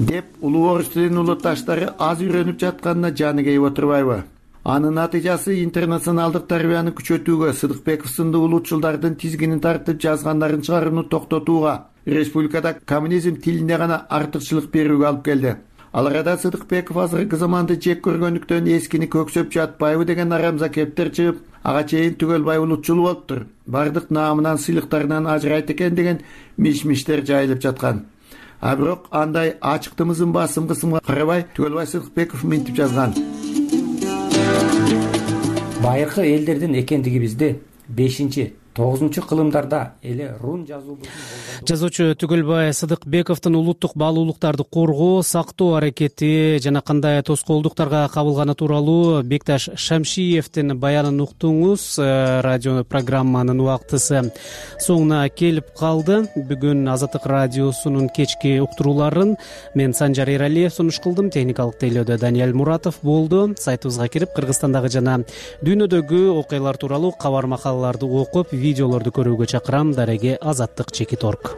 деп улуу орус тилинин улутташтары аз үйрөнүп жатканына жаны кейип отурбайбы? Анын натыйжасы интернационалдык тарбияны күчөтүүгө, Сыдыкбеков сындуу улутчулдардын тизгинин тартып жазгандарын чыгарууну токтотууга, республикада коммунизм тилине гана артыкчылык берүүгө алып келди. Ал арада Сыдыкбеков азыркы заманды жек көргөндүктөн эскини көксөп жатпайбы деген арамза кептер чыгып, ага чейин Түгөлбай улутчул болуптур, бардык наамынан сыйлыктарынан ажырайт экен деген миш-миштер жайылып жаткан. А бирок андай ачыктымызын басым кысымга карабай Түгөлбай Сыдыкбеков мынтип жазган.
Байыркы элдердин экендигибизди бешинчи тогузунчу кылымдарда эле рун жазуу
жазуучу Түгөлбай Сыдыкбековдун улуттук баалуулуктарды коргоо, сактоо аракети жана кандай тоскоолдуктарга кабылганы тууралуу Бекташ Шамшиевдин баянын уктуңуз. Радио программанын убактысы соңуна келип калды. Бүгүн Азаттык радиосунун кечки уктурууларын мен Санжар Эралиев сунуш кылдым. Техникалык тейлөөдө Даниэль Муратов болду. Сайтыбызга кирип Кыргызстандагы жана дүйнөдөгү окуялар тууралуу кабар макалаларды окуп, видеолорду көрүүгө чакырам. Дареге азаттык чекит орг.